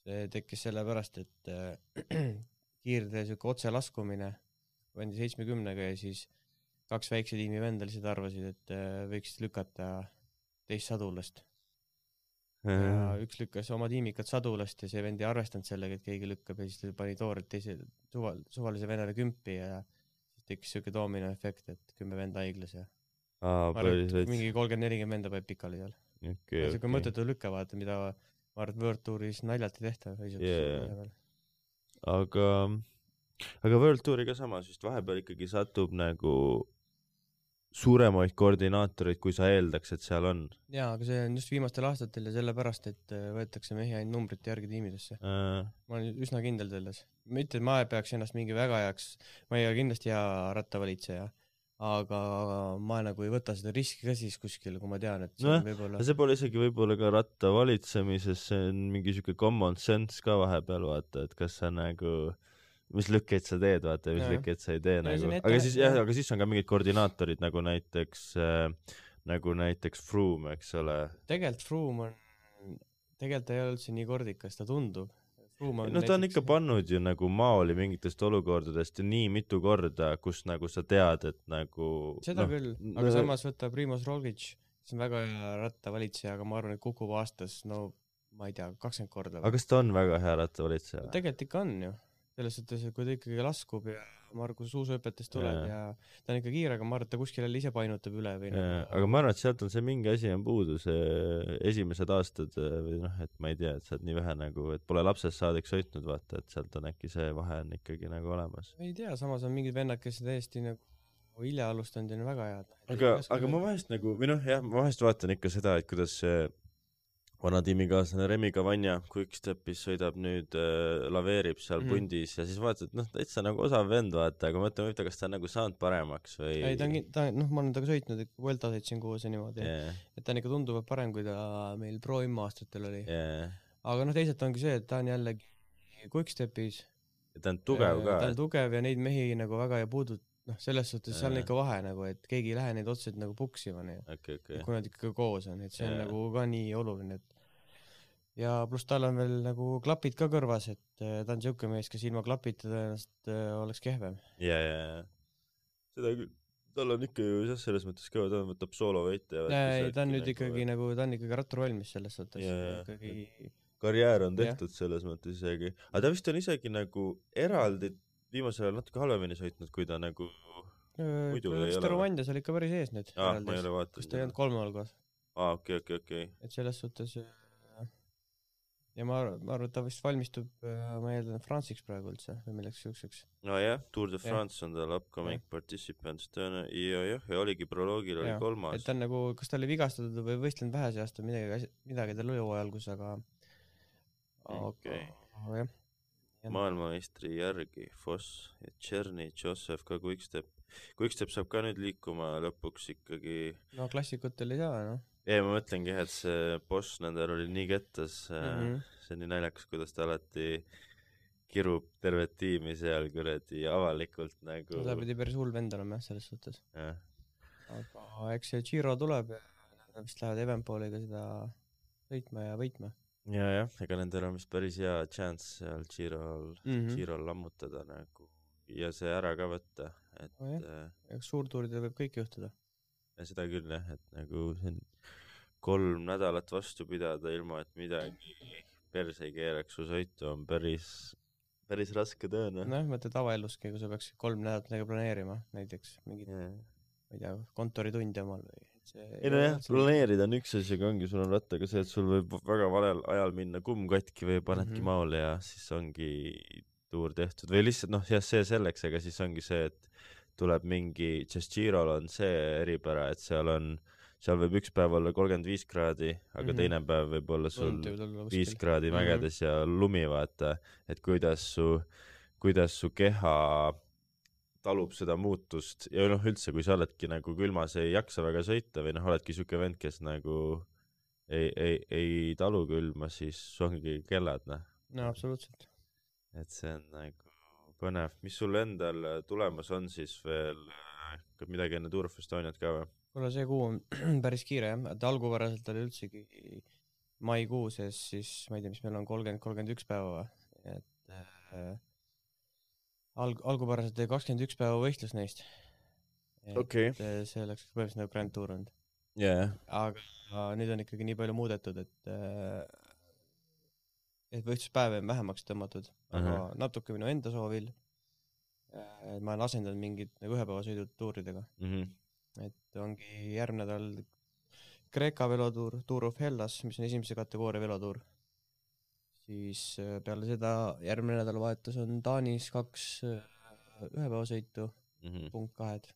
See tekkis selle pärast, et kiirde siuke otse laskumine vendi 70-ga ja siis 2 väikse tiimi venda lihtsalt arvasid, et võiks lükata teist sadulast. Ja üks lükkas oma tiimikat sadulast ja see vend ei arvestanud sellega, et keegi lükkab ja siis ta pani toorelt teise suvalise vennale kümpi ja siis tekkis siuke doomino efekt, et 10 venda haiglas ja mingi 30-40 venda peab pikali seal. Siuke mõttetu lükke vaata, mida ma arvan, et World Touris naljalt ei tehta. Aga World Touri ka samas, just vahepeal ikkagi satub nagu suuremaid koordinaatoreid, kui sa eeldaks, et seal on. Jaa, aga see on just viimastel aastatel ja sellepärast, et võetakse mehi ainult numbrite järgi tiimidesse. Ma olen üsna kindel selles. Mitte, et ma peaks ennast mingi väga heaks, ma ei ole kindlasti hea rattavalitseja, aga ma nagu ei võta seda riski ka siis kuskil, kui ma tean, et see võib-olla... See pole isegi võib-olla ka rattavalitsemises, see on mingi siuke common sense ka vahepeal, vaata, et kas sa nagu... mis lükkeid sa teed, vaata, mis lükkeid sa ei tee nagu. Aga siis on ka mingid koordinaatorid nagu näiteks Froome, eks ole. Tegelikult Froome on, tegelikult ei ole üldse nii kordikas, ta tundub. no ta on ikka pannud ju nagu maoli mingitest olukordadest ja nii mitu korda, kus nagu sa tead, et nagu seda küll, aga samas võtta Primož Roglič, see on väga hea rattavalitseja, aga ma arvan, et kukub aastas, no ma ei tea, 20 korda. Aga kas ta on väga hea rattavalitseja? Tegelikult ikka on ju. Selles suhtes, et kui ta ikkagi laskub ja Margus suusaõpetest tuleb ja ta on ikka kiire, aga ma arvan, et ta kuskil jälle ise painutab üle või aga ma arvan, et sealt on see mingi asi on puudu, see esimesed aastad või noh, et ma ei tea, et sa oled nii vähe nagu, et pole lapsest saadik sõitnud, vaata, et sealt on äkki see vahe on ikkagi nagu olemas. Ei tea, samas on mingid vennad, kes täiesti nagu hilja alustanud ja on väga head. Aga ma vahest nagu, või noh, jah, ma vahest vaatan ikka seda, et kuidas see vana tiimikaaslane Remi Cavagna Quickstepis sõidab nüüd, laveerib seal pundis ja siis vaatad, noh, täitsa nagu osav vend, vaata, aga mõtleme, kas ta on nagu saanud paremaks või... Ei, ta noh, ma olen taga sõitnud, Vuelta sõitsin koos ja niimoodi, et ta on ikka tunduvalt parem, kui ta meil Pro M-aastatel oli. Aga noh, teisalt ongi see, et ta on jällegi Quickstepis. Ja ta on tugev ka. Ta on tugev ja neid mehi nagu väga ei puudut, noh, selles suhtes seal on ikka vahe nagu, et keegi ei lähe neid otseselt nagu puksima, kui nad ikka koos on, et see on nagu ka nii oluline, et ja pluss tal on veel nagu klapid ka kõrvas, et ta on siuke mees, kes ilma klapita tõenäoliselt oleks kehvem. Ja. Seda küll. Tal on ikka ju selles mõttes ka, ta võtab soolovõite. Ta on nüüd ikkagi nagu, ta on ikkagi rattur valmis selles suhtes. Ikkagi... Karjäär on tehtud selles mõttes isegi. Aga ta vist on isegi nagu eraldi viimasel ajal natuke halvemini sõitnud, kui ta nagu muidu ei ole. Staromandias oli ikka päris ees nüüd. Ma ei ole vaatanud. Kus ta ei olnud 3 algas. Okei. Et selles suhtes... Ja ma arvan, et ta vist valmistub, ma eeldan, Fransiks praegu üldse või milleks siukseks. No jah, Tour de France on tal upcoming participants tõene. Ja oligi proloogil oli 3. Et ta on nagu, kas ta oli vigastatud või võistlenud vähese aasta midagi tal oli hooajalgus, aga jah. Maailmameistri järgi Foss ja Tšerny, Joseph ka Quickstep. Quickstep saab ka nüüd liikuma lõpuks ikkagi... No klassikutel ei saa, noh. Ei, ma mõtlengi, et see boss nendel oli nii kettas, see on nii naljakas, kuidas ta alati kirub tervet tiimi seal kuradi avalikult nagu... Ta pidi päris hull vend olema, selles suhtes. Aga eks see Giro tuleb ja nad vist lähevad Evenpooliga seda sõitma ja võitma. Ja, ega nendel on vist päris hea chance seal Girol lammutada nagu ja see ära ka võtta. Eks suurtuuridel võib kõik juhtuda. Ja seda küll, et nagu see on 3 nädalat vastu pidada ilma, et midagi perse ei keeraks su sõitu on päris raske tõena. Noh, mõtle tavaelluski, kui sa peaks 3 nädalat nagu planeerima, näiteks mingid, ma ei tea, kontoritundi omal või... Ei no jah, planeerida on üks asi, aga ongi, sul on rattaga see, et sul võib väga valel ajal minna kumm katki või panedki maale ja siis ongi tuur tehtud. Või lihtsalt, noh, jah, see selleks, aga siis ongi see, et tuleb mingi, sest Girol on see eripära, et seal võib üks päev olla 35 kraadi, aga teine päev võib olla sul 5 kraadi mägedes ja lumi, vaata, et kuidas su keha talub seda muutust ja noh, üldse, kui sa oledki nagu külmas ei jaksa väga sõita või noh, oledki siuke vend, kes nagu ei talu külma, siis su ongi kellad, noh. No, absoluutselt. Et see on nagu põnev. Mis sul endal tulemas on siis veel midagi enne Tour of Estoniat ka või? Kuule, see kuu on päris kiire, jah. Et algupäraselt oli üldsegi maikuu sees, siis ma ei tea, mis meil on 30-31 päeva. Et algupäraselt 21 päeva võistlus neist. Okay. See oleks põhimõtteliselt nagu Grand Tour olnud. Aga nüüd on ikkagi nii palju muudetud, et võistluspäev on vähemaks tõmmatud, aga natuke minu enda soovil. Ma olen asendanud mingid nagu ühepäevasõidud tuuridega. Et ongi järgmine nädal Kreeka velotuur, Tour of Hellas, mis on esimese kategooria velotuur. Siis peale seda järgmine nädalavahetus on Taanis 2 ühepäevasõitu, punkt 2.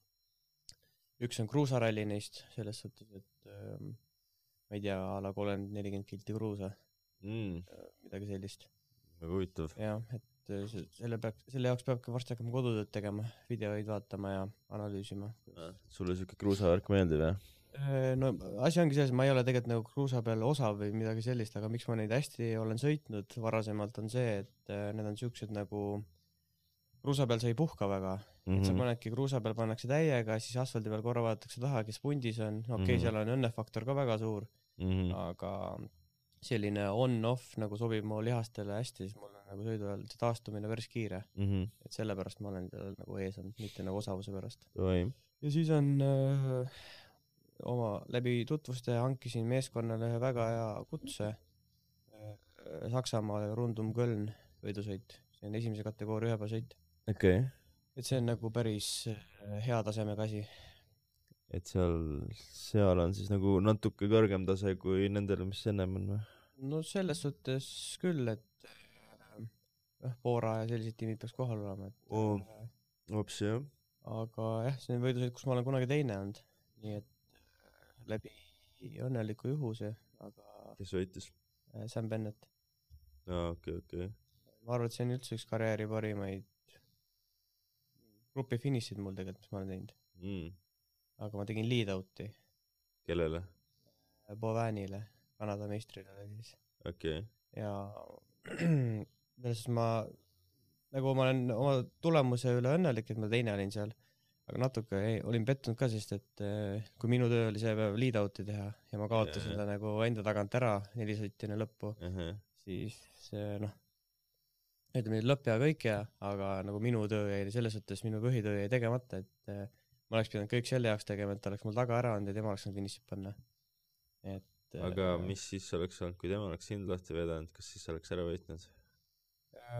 Üks on kruusaralli neist, selles suhtes, et ma ei tea, ala 30-40 kilti kruusa. Midagi sellist. Väga huvitav. Jah, et selle jaoks peabki varsti hakkama kodutööd tegema, videoid vaatama ja analüüsima. Sulle siuke kruusavärk meeldib, jah? No asi ongi selles, ma ei ole tegelikult nagu kruusa peal osav või midagi sellist, aga miks ma neid hästi olen sõitnud varasemalt on see, et need on siuksed nagu kruusa peal sa ei puhka väga. Et sa panedki kruusa peal pannakse täiega, siis asfaldi peal korra vaadatakse taha, kes pundis on. Okei, seal on õnnefaktor ka väga suur, aga selline on-off nagu sobib mu lihastele hästi, siis mul on nagu sõidu ajal see taastumine päris kiire, et sellepärast ma olen seal nagu ees olnud, mitte nagu osavuse pärast. Ja siis on oma läbi tutvuste hankisin meeskonnale ühe väga hea kutse Saksamaa Rundum Köln võidusõit, see on esimese kategooria ühepäevasõit. Okay. Et see on nagu päris hea tasemega asi. Et seal on siis nagu natuke kõrgem tase kui nendel, mis ennem on või? No selles suhtes küll, et Poora ja sellised tiimid peaks kohal olema. Hops, jah. Aga jah, see on võidusõit, kus ma olen kunagi teine olnud. Nii et läbi õnneliku juhuse, aga... Kes võitis? Sam Bennett. Okay. Ma arvan, et see on üldse üks karjääri parimaid grupi finišid mul tegelikult, mis ma olen teinud. Aga ma tegin lead-out'i. Kellele? Bovanile, Kanada meistrile siis. Okay. Ja ma olen oma tulemuse üle õnnelik, et ma teine olin seal. Aga natuke olin pettunud ka, sest et kui minu töö oli see päev lead-out'i teha ja ma kaotasin ta nagu enda tagant ära 4 sõitjane lõppu, siis ütleme lõpp ja kõik aga nagu minu töö jäi selles suhtes, minu põhitöö jäi tegemata, et ma oleks pidanud kõik selle jaoks tegema, et ta oleks mul taga ära olnud ja tema oleks finišit panna. Aga mis siis oleks olnud, kui tema oleks sind lahti vedanud, kas siis oleks ära võitnud?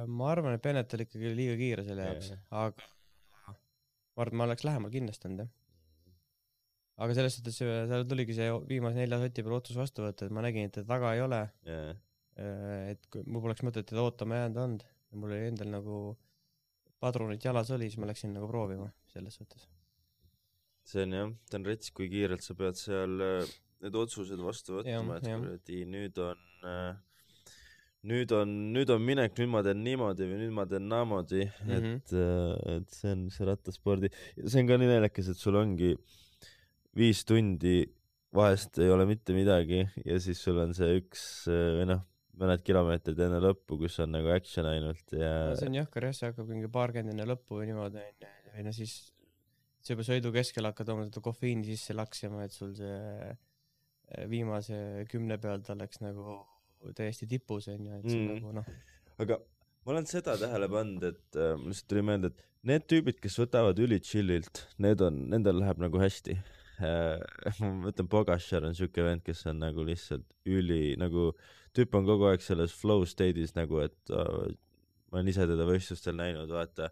Ma arvan, et Bennett oli ikkagi liiga kiire selle jaoks, aga ma arvan, et ma oleks lähemal kindlasti olnud. Aga selles suhtes seal tuligi see viimase 4 sõti peal otsus vastu võtta, et ma nägin, et ta taga ei ole, et kui mul poleks mõtet teda ootama jäänud olnud ja mul oli endal nagu padrunit jalas oli, siis ma läksin nagu proovima selles suhtes. See on jah, ta on rets, kui kiirelt sa pead seal need otsused vastu võtma, et kuradi nüüd on minek, nüüd ma teen niimoodi või nüüd ma teen naamoodi, et see on see rattaspordi. See on ka nii naljakas, et sul ongi 5 tundi, vahest ei ole mitte midagi ja siis sul on see mõned kilomeetrid enne lõppu, kus on nagu action ainult ja... See on jahkar, see hakkab mingi paarkümmend enne lõppu või niimoodi ja siis see juba sõidu keskel hakkad oma kofeiini sisse laksima, et sul see viimase 10 pealt oleks nagu täiesti tipus on ja et see nagu Aga ma olen seda tähele pannud, et mul lihtsalt tuli meelde, et need tüübid, kes võtavad üli chillilt, nendel läheb nagu hästi. Ma mõtlen, Pogačar on siuke vend, kes on nagu lihtsalt nagu tüüp on kogu aeg selles flow state'is nagu, et ma olen ise teda võistlustel näinud, vaata,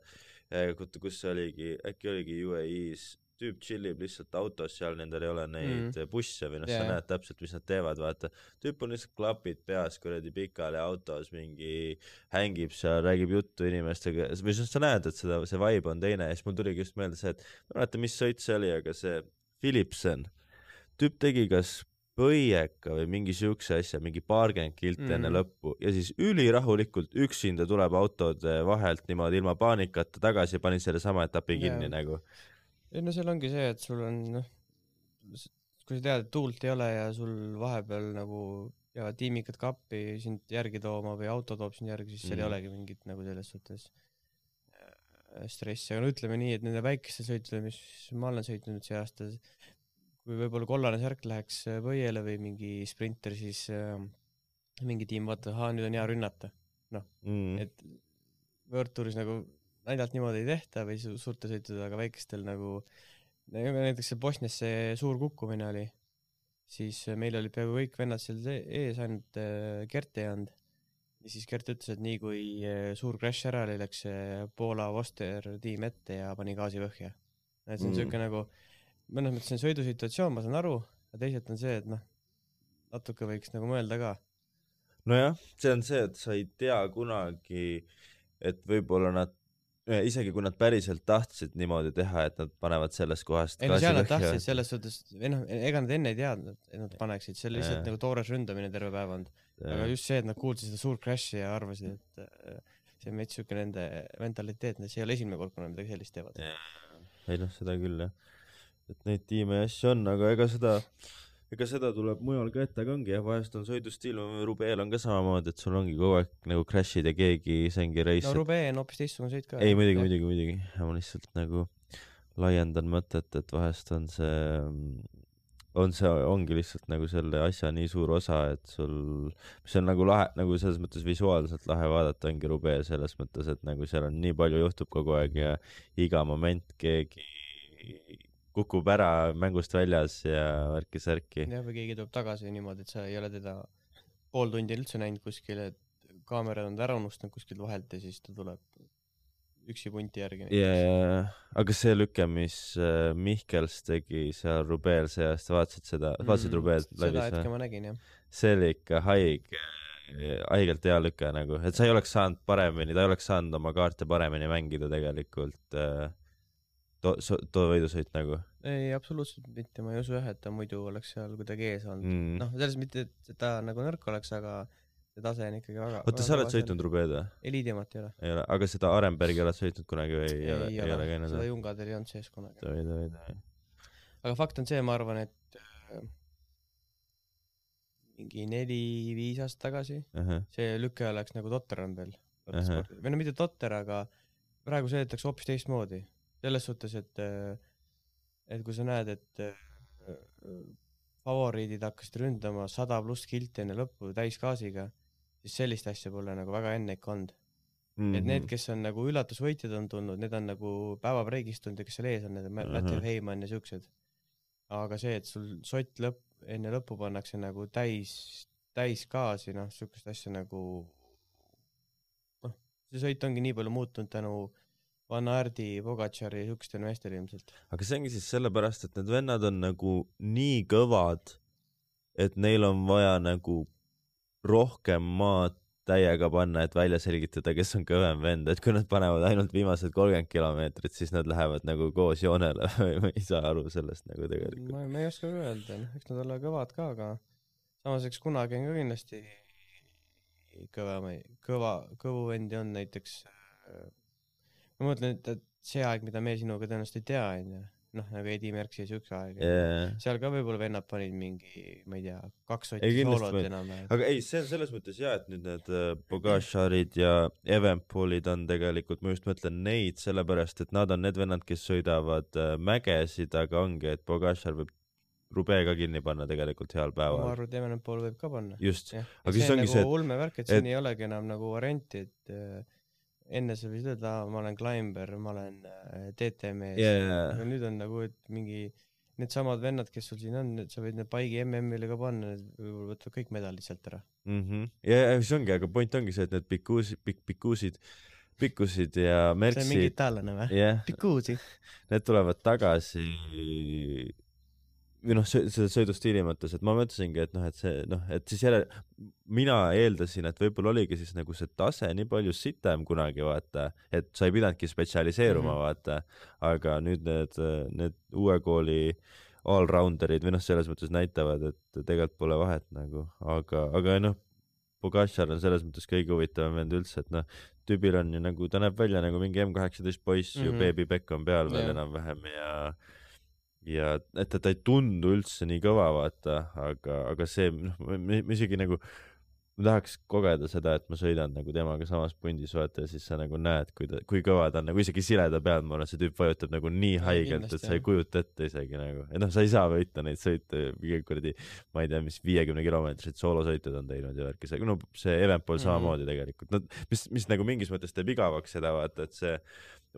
kus oligi, äkki oligi UAE-s, tüüp chillib lihtsalt autos seal, nendel ei ole neid busse või sa näed täpselt, mis nad teevad, vaata. Tüüp on lihtsalt klapid peas, kuradi pikali autos, mingi hängib seal, räägib juttu inimestega, või sa näed, et see vibe on teine ja siis mul tuligi just meelde see, et ma mäletan, mis sõit see oli, aga see Philipsen, tüüp tegi kas põieka või mingi siukse asja, mingi 20 kilt enne lõppu ja siis ülirahulikult üksinda tuleb autode vahelt niimoodi ilma paanikata tagasi ja panin selle sama etapi kinni nagu. No seal ongi see, et sul on, kui sa tead, et tuult ei ole ja sul vahepeal nagu tiimikad kappi sind järgi tooma või auto toob sind järgi, siis seal ei olegi mingit nagu selles suhtes stressi, aga ütleme nii, et nende väikeste sõitude, mis ma olen sõitnud see aasta, kui võib-olla kollane särk läheks võiele või mingi sprinter, siis mingi tiim vaatab, nüüd on hea rünnata. Et World Touris nagu naidalt niimoodi ei tehta või suurte sõitude, aga väikestel nagu, näiteks see Bosnias see suur kukkumine oli, siis meil olid peaaegu kõik vennad seal ees, ainult Gert ei olnud. Ja siis Gert ütles, et nii kui suur crash ära oli, läks Poola Voster tiim ette ja pani gaasi põhja. Et see on siuke nagu, mõnes mõttes see on sõidusituatsioon, ma saan aru, ja teisalt on see, et natuke võiks nagu mõelda ka. Nojah, see on see, et sa ei tea kunagi, et võib-olla nad isegi kui nad päriselt tahtsid niimoodi teha, et nad panevad sellest kohast gaasi põhja. Nad tahtsid selles suhtes, ega nad enne ei teadnud, et nad paneksid, see oli lihtsalt nagu toores ründamine terve päev olnud. Aga just see, et nad kuulsid seda suurt crashi ja arvasid, et see on meid siuke nende mentaliteet, see ei ole esimene kord, kui nad midagi sellist teevad. Ei seda küll, jah. Et neid tiime ja asju on, aga ega seda tuleb mujal ka ette, aga ongi, vahest on sõidustiil, Rubeel on ka samamoodi, et sul ongi kogu aeg nagu crashid ja keegi sengi reis. No Rubee on hoopis teistsugune sõit ka. Ei, muidugi. Ma lihtsalt nagu laiendan mõtet, et vahest on see ongi lihtsalt nagu selle asja nii suur osa, et sul, mis on nagu lahe, nagu selles mõttes visuaalselt lahe vaadata, ongi Roubaix selles mõttes, et nagu seal on nii palju juhtub kogu aeg ja iga moment keegi kukub ära mängust väljas ja värki-särki. jah, või keegi tuleb tagasi niimoodi, et sa ei ole teda pool tundi üldse näinud kuskil, et kaamerad on ta ära unustanud kuskilt vahelt ja siis ta tuleb üksi punti järgi. Aga see lüke, mis Mihkels tegi seal Roubaix see aasta, vaatasid seda, vaatasid Roubaix läbi? Seda hetke ma nägin, jah. See oli ikka haigelt hea lüke nagu, et sa ei oleks saanud paremini, ta ei oleks saanud oma kaarte paremini mängida tegelikult too võidusõit nagu. Ei, absoluutselt mitte, ma ei usu jah, et ta muidu oleks seal kuidagi ees olnud. Noh, selles mitte, et ta nagu nõrk oleks, aga see tase on ikkagi väga... Oota, sa oled sõitnud Roubaix või? Eliidimat ei ole. Ei ole, aga seda Arenbergi oled sõitnud kunagi või ei ole käinud? Seda Jungadel ei olnud sees kunagi. Davai. Aga fakt on see, ma arvan, et mingi 4-5 aastat tagasi see lüke oleks nagu totter on veel. Või no mitte totter, aga praegu sõidetakse hoopis teistmoodi. Selles suhtes, et kui sa näed, et favoriidid hakkasid ründama 100+ kilti enne lõppu täisgaasiga, siis sellist asja pole nagu väga enne ikka olnud. Et need, kes on nagu üllatusvõitjad on tulnud, need on nagu päevabreigist tulnud ja kes seal ees on, need on Matthew Heyman ja siuksed. Aga see, et sul sott enne lõppu pannakse nagu täis gaasi, noh, siukest asja nagu see sõit ongi nii palju muutunud tänu Van Aerdi, Pogačari ja siukestel meestel ilmselt. Aga see ongi siis sellepärast, et need vennad on nagu nii kõvad, et neil on vaja nagu rohkem maad täiega panna, et välja selgitada, kes on kõvem vend, et kui nad panevad ainult viimased 30 kilomeetrit, siis nad lähevad nagu koos joonele või ei saa aru sellest nagu tegelikult. Ma ei oska öelda, eks nad ole kõvad ka, aga samas eks kunagi on ka kindlasti kõvu vendi on näiteks ma mõtlen, et see aeg, mida me sinuga tõenäoliselt ei tea, noh, nagu Edi Merks ja siukse aeg. Seal ka võib-olla vennad panid mingi, ma ei tea, 2 sotti soolot enam. Aga ei, see on selles mõttes jah, et nüüd need Pogačarid ja Evenpoolid on tegelikult, ma just mõtlen neid, sellepärast, et nad on need vennad, kes sõidavad mägesid, aga ongi, et Pogačar võib Roubaix ka kinni panna tegelikult heal päeval. Ma arvan, et Evenpool võib ka panna. Just. Aga see on nagu ulmevärk, et siin ei olegi enam nagu varianti, et enne sa võisid öelda, ma olen Climber, ma olen DTM-ees. Aga nüüd on nagu, et mingi need samad vennad, kes sul siin on, sa võid need paigi MM-ile ka panna, võib-olla võtavad kõik medalid sealt ära. Ja see ongi, aga point ongi see, et need pikkusid ja Merksid. See on mingi itaallane või? Pikkuusi. Need tulevad tagasi või noh, seda sõidustiili mõttes, et ma mõtlesingi, et noh, et see, noh, et siis jälle mina eeldasin, et võib-olla oligi siis nagu see tase nii palju sitem kunagi, vaata, et sa ei pidanudki spetsialiseeruma, vaata, aga nüüd need uue kooli all-rounderid või noh, selles mõttes näitavad, et tegelikult pole vahet nagu, aga noh, Pogačar on selles mõttes kõige huvitavam vend üldse, et noh, tüübil on ju nagu, ta näeb välja nagu mingi M18 poiss ju, Baby Beck on peal veel enam-vähem ja et ta ei tundu üldse nii kõva, vaata, aga see, noh, ma isegi nagu, ma tahaks kogeda seda, et ma sõidan nagu temaga samas pundis, vaata, ja siis sa nagu näed, kui kõva ta on, nagu isegi sileda peal, ma arvan, see tüüp vajutab nagu nii haigelt, et sa ei kujuta ette isegi nagu, et noh, sa ei saa võita neid sõite, kuradi, ma ei tea, mis 50 kilomeetrit soolosõitud on teinud ja värki, no see Evenpool samamoodi tegelikult, no mis nagu mingis mõttes teeb igavaks seda, vaata, et see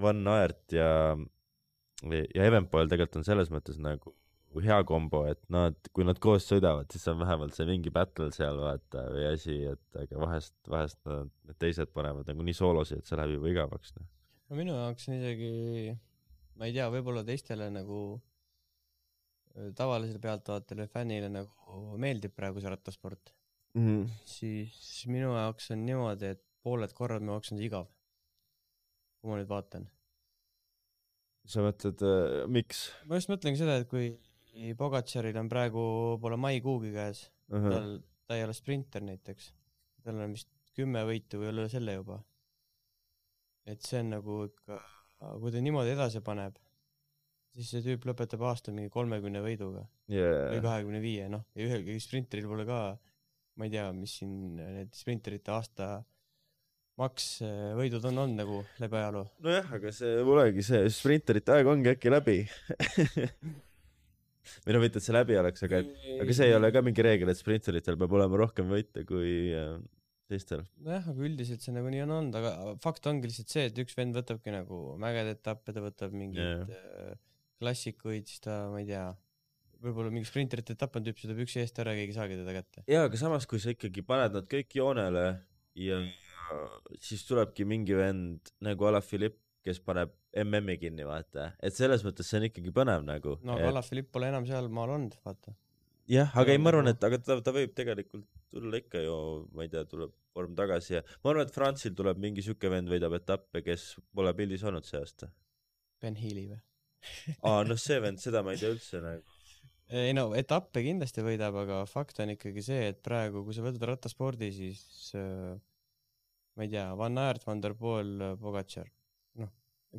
Van Aert ja Evenpool tegelikult on selles mõttes nagu hea kombo, et kui nad koos sõidavad, siis on vähemalt see mingi battle seal, vaata, või asi, et aga vahest need teised panevad nagu nii soolosi, et see läheb juba igavaks. No minu jaoks on isegi, ma ei tea, võib-olla teistele nagu tavalisele pealtvaatajale, fännile nagu meeldib praegu see rattasport. Siis minu jaoks on niimoodi, et pooled korrad minu jaoks on see igav, kui ma nüüd vaatan. Sa mõtled, miks? Ma just mõtlengi seda, et kui Pogačaril on praegu pole maikuugi käes, ta ei ole sprinter näiteks, tal on vist 10 võitu või üle selle juba. Et see on nagu ikka, kui ta niimoodi edasi paneb, siis see tüüp lõpetab aasta mingi 30 võiduga või 25, noh, ja ühelgi sprinteril pole ka, ma ei tea, mis siin need sprinterite aasta maks võidud on olnud nagu läbi ajaloo. Nojah, aga see polegi see sprinterite aeg ongi äkki läbi. või no mitte, et see läbi oleks, aga see ei ole ka mingi reegel, et sprinteritel peab olema rohkem võite kui teistel. nojah, aga üldiselt see nagu nii on olnud, aga fakt ongi lihtsalt see, et üks vend võtabki nagu mägede etappe, ta võtab mingeid klassikuid, siis ta, ma ei tea, võib-olla mingi sprinterite etapp on tüüp, see tuleb üksi eest ära, keegi ei saagi teda kätte. jaa, aga samas, kui sa ikkagi paned nad kõik joonele ja siis tulebki mingi vend nagu Alaphilippe, kes paneb MM-i kinni, vaata. Et selles mõttes see on ikkagi põnev nagu. No aga Alaphilippe pole enam seal maal olnud, vaata. Jah, aga ei, ma arvan, et aga ta võib tegelikult tulla ikka ju, ma ei tea, tuleb vorm tagasi ja ma arvan, et Franzil tuleb mingi süke vend võidab etappe, kes pole pildis olnud see aasta. Ben Healy või? No see vend, seda ma ei tea üldse nagu. Ei no, etappe kindlasti võidab, aga fakt on ikkagi see, et praegu, kui sa võtad rattaspordi, siis ma ei tea, Van Aert, Van der Poel, Pogacar. Noh,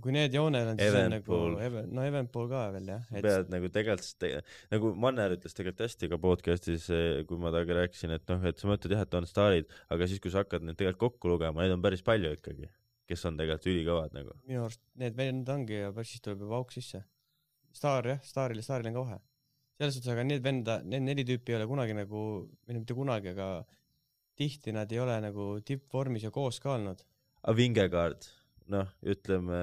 kui need joonel on, siis on nagu Evenpool ka veel, jah. Pead nagu tegelikult, nagu Manner ütles tegelikult hästi ka podcastis, kui ma temaga rääkisin, et noh, et sa mõtled jah, et on staarid, aga siis, kui sa hakkad neid tegelikult kokku lugema, neid on päris palju ikkagi, kes on tegelikult ülikõvad nagu. Minu arust need vend ongi ja päris siis tuleb juba auk sisse. Staar, jah, staaril on ka vahe. Selles suhtes, aga need 4 tüüpi ei ole kunagi nagu, või mitte kunagi, aga tihti nad ei ole nagu tippvormis ja koos ka olnud. A Vingegaard, noh, ütleme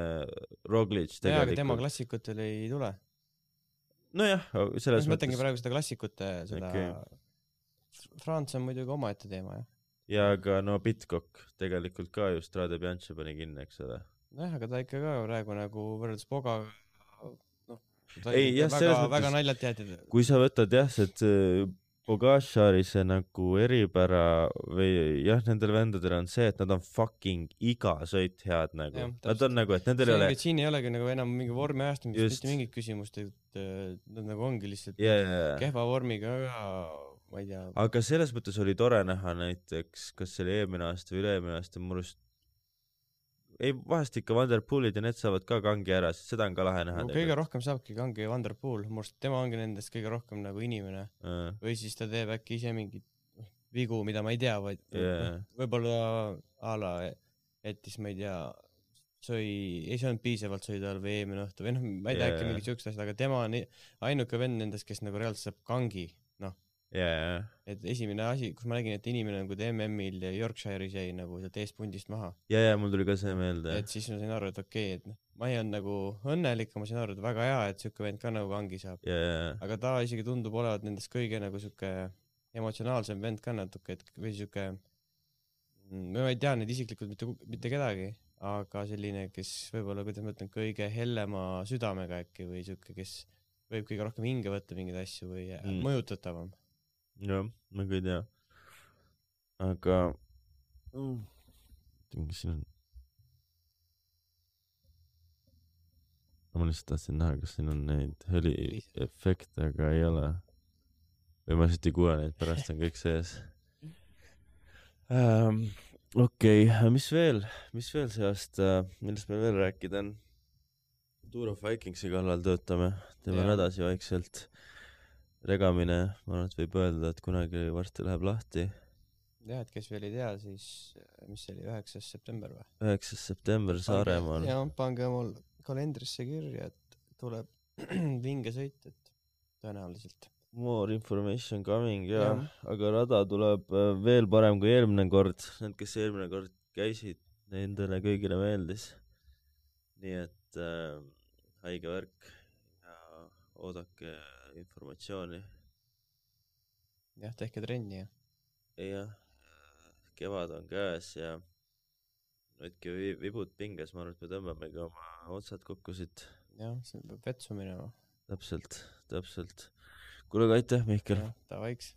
Roglic tegelikult. Jaa, aga tema klassikutel ei tule. Nojah, selles mõttes. Mõtlengi praegu seda klassikute, seda France on muidugi omaette teema, jah. Ja aga no Pitcock tegelikult ka just Strade Bianche pani kinni, eks ole. Jah, aga ta ikka ka praegu nagu võrreldes Poga, ei, jah, väga naljalt jäetid. Kui sa võtad jah, see Pogacari see nagu eripära või jah, nendel vendadel on see, et nad on fucking iga sõit head nagu. Ja, nad on nagu, et nendel ei ole... Siin ei olegi nagu enam mingi vormi ajastamist, mitte mingit küsimust, et nad nagu ongi lihtsalt kehva vormiga, ma ei tea. Aga selles mõttes oli tore näha näiteks, kas see oli eelmine aasta või üle-eelmine aasta, murust ei, vahest ikka Van der Poelid ja need saavad ka kangi ära, sest seda on ka lahe näha. No, kõige rohkem saabki kangi Van der Poel, murst tema ongi nendest kõige rohkem nagu inimene. Või siis ta teeb äkki ise mingit vigu, mida ma ei tea, vaid võib-olla ala jättis, ma ei tea, ei söönud piisavalt sõi tal või eelmine õhtu või noh, ma ei tea äkki mingit sükst asjad, aga tema on ainuke vend nendest, kes nagu reaalselt saab kangi, noh. Et esimene asi, kus ma nägin, et inimene nagu MM-il ja Yorkshire'is jäi nagu sealt eespundist maha. Ja, mul tuli ka see meelde. Et siis ma sain aru, et okei, et ma ei olnud nagu õnnelik, ma sain aru, et väga hea, et sükke vend ka nagu kangi saab. Aga ta isegi tundub olevat nendest kõige nagu sükke emotsionaalsem vend ka natuke, et või sükke, ma ei tea neid isiklikult mitte kedagi, aga selline, kes võib-olla, kuidas ma ütlen, kõige hellema südamega äkki või sükke, kes võib kõige rohkem hinge võtta mingeid asju või mõjutatavam. Jah, ma ka ei tea. Aga mis siin on? Ma lihtsalt tahtsin näha, kas siin on neid heliefekte, aga ei ole. Või ma lihtsalt ei kuule neid, pärast on kõik sees. Okei, mis veel see aasta, millest meil veel rääkida on? Tour of Vikingsi kallal töötame, teeme edasi vaikselt. Regamine, ma arvan, et võib öelda, et kunagi varsti läheb lahti. Jah, et kes veel ei tea, siis mis see oli, 9. september või? 9. september Saaremaal. Ja pange mul kalendrisse kirja, et tuleb vinge sõit, et tõenäoliselt. More information coming, ja. Aga rada tuleb veel parem kui eelmine kord. Need, kes eelmine kord käisid, nendele kõigile meeldis. Nii et haige värk ja oodake informatsiooni. Jah, tehke trenni, jah. Kevad on käes ja võtke vibud pinges, ma arvan, et me tõmbamegi oma otsad kokku siit. Jah, see peab vetsu minema. Täpselt. Kuule, aitäh, Mihkel. Ta vaiks.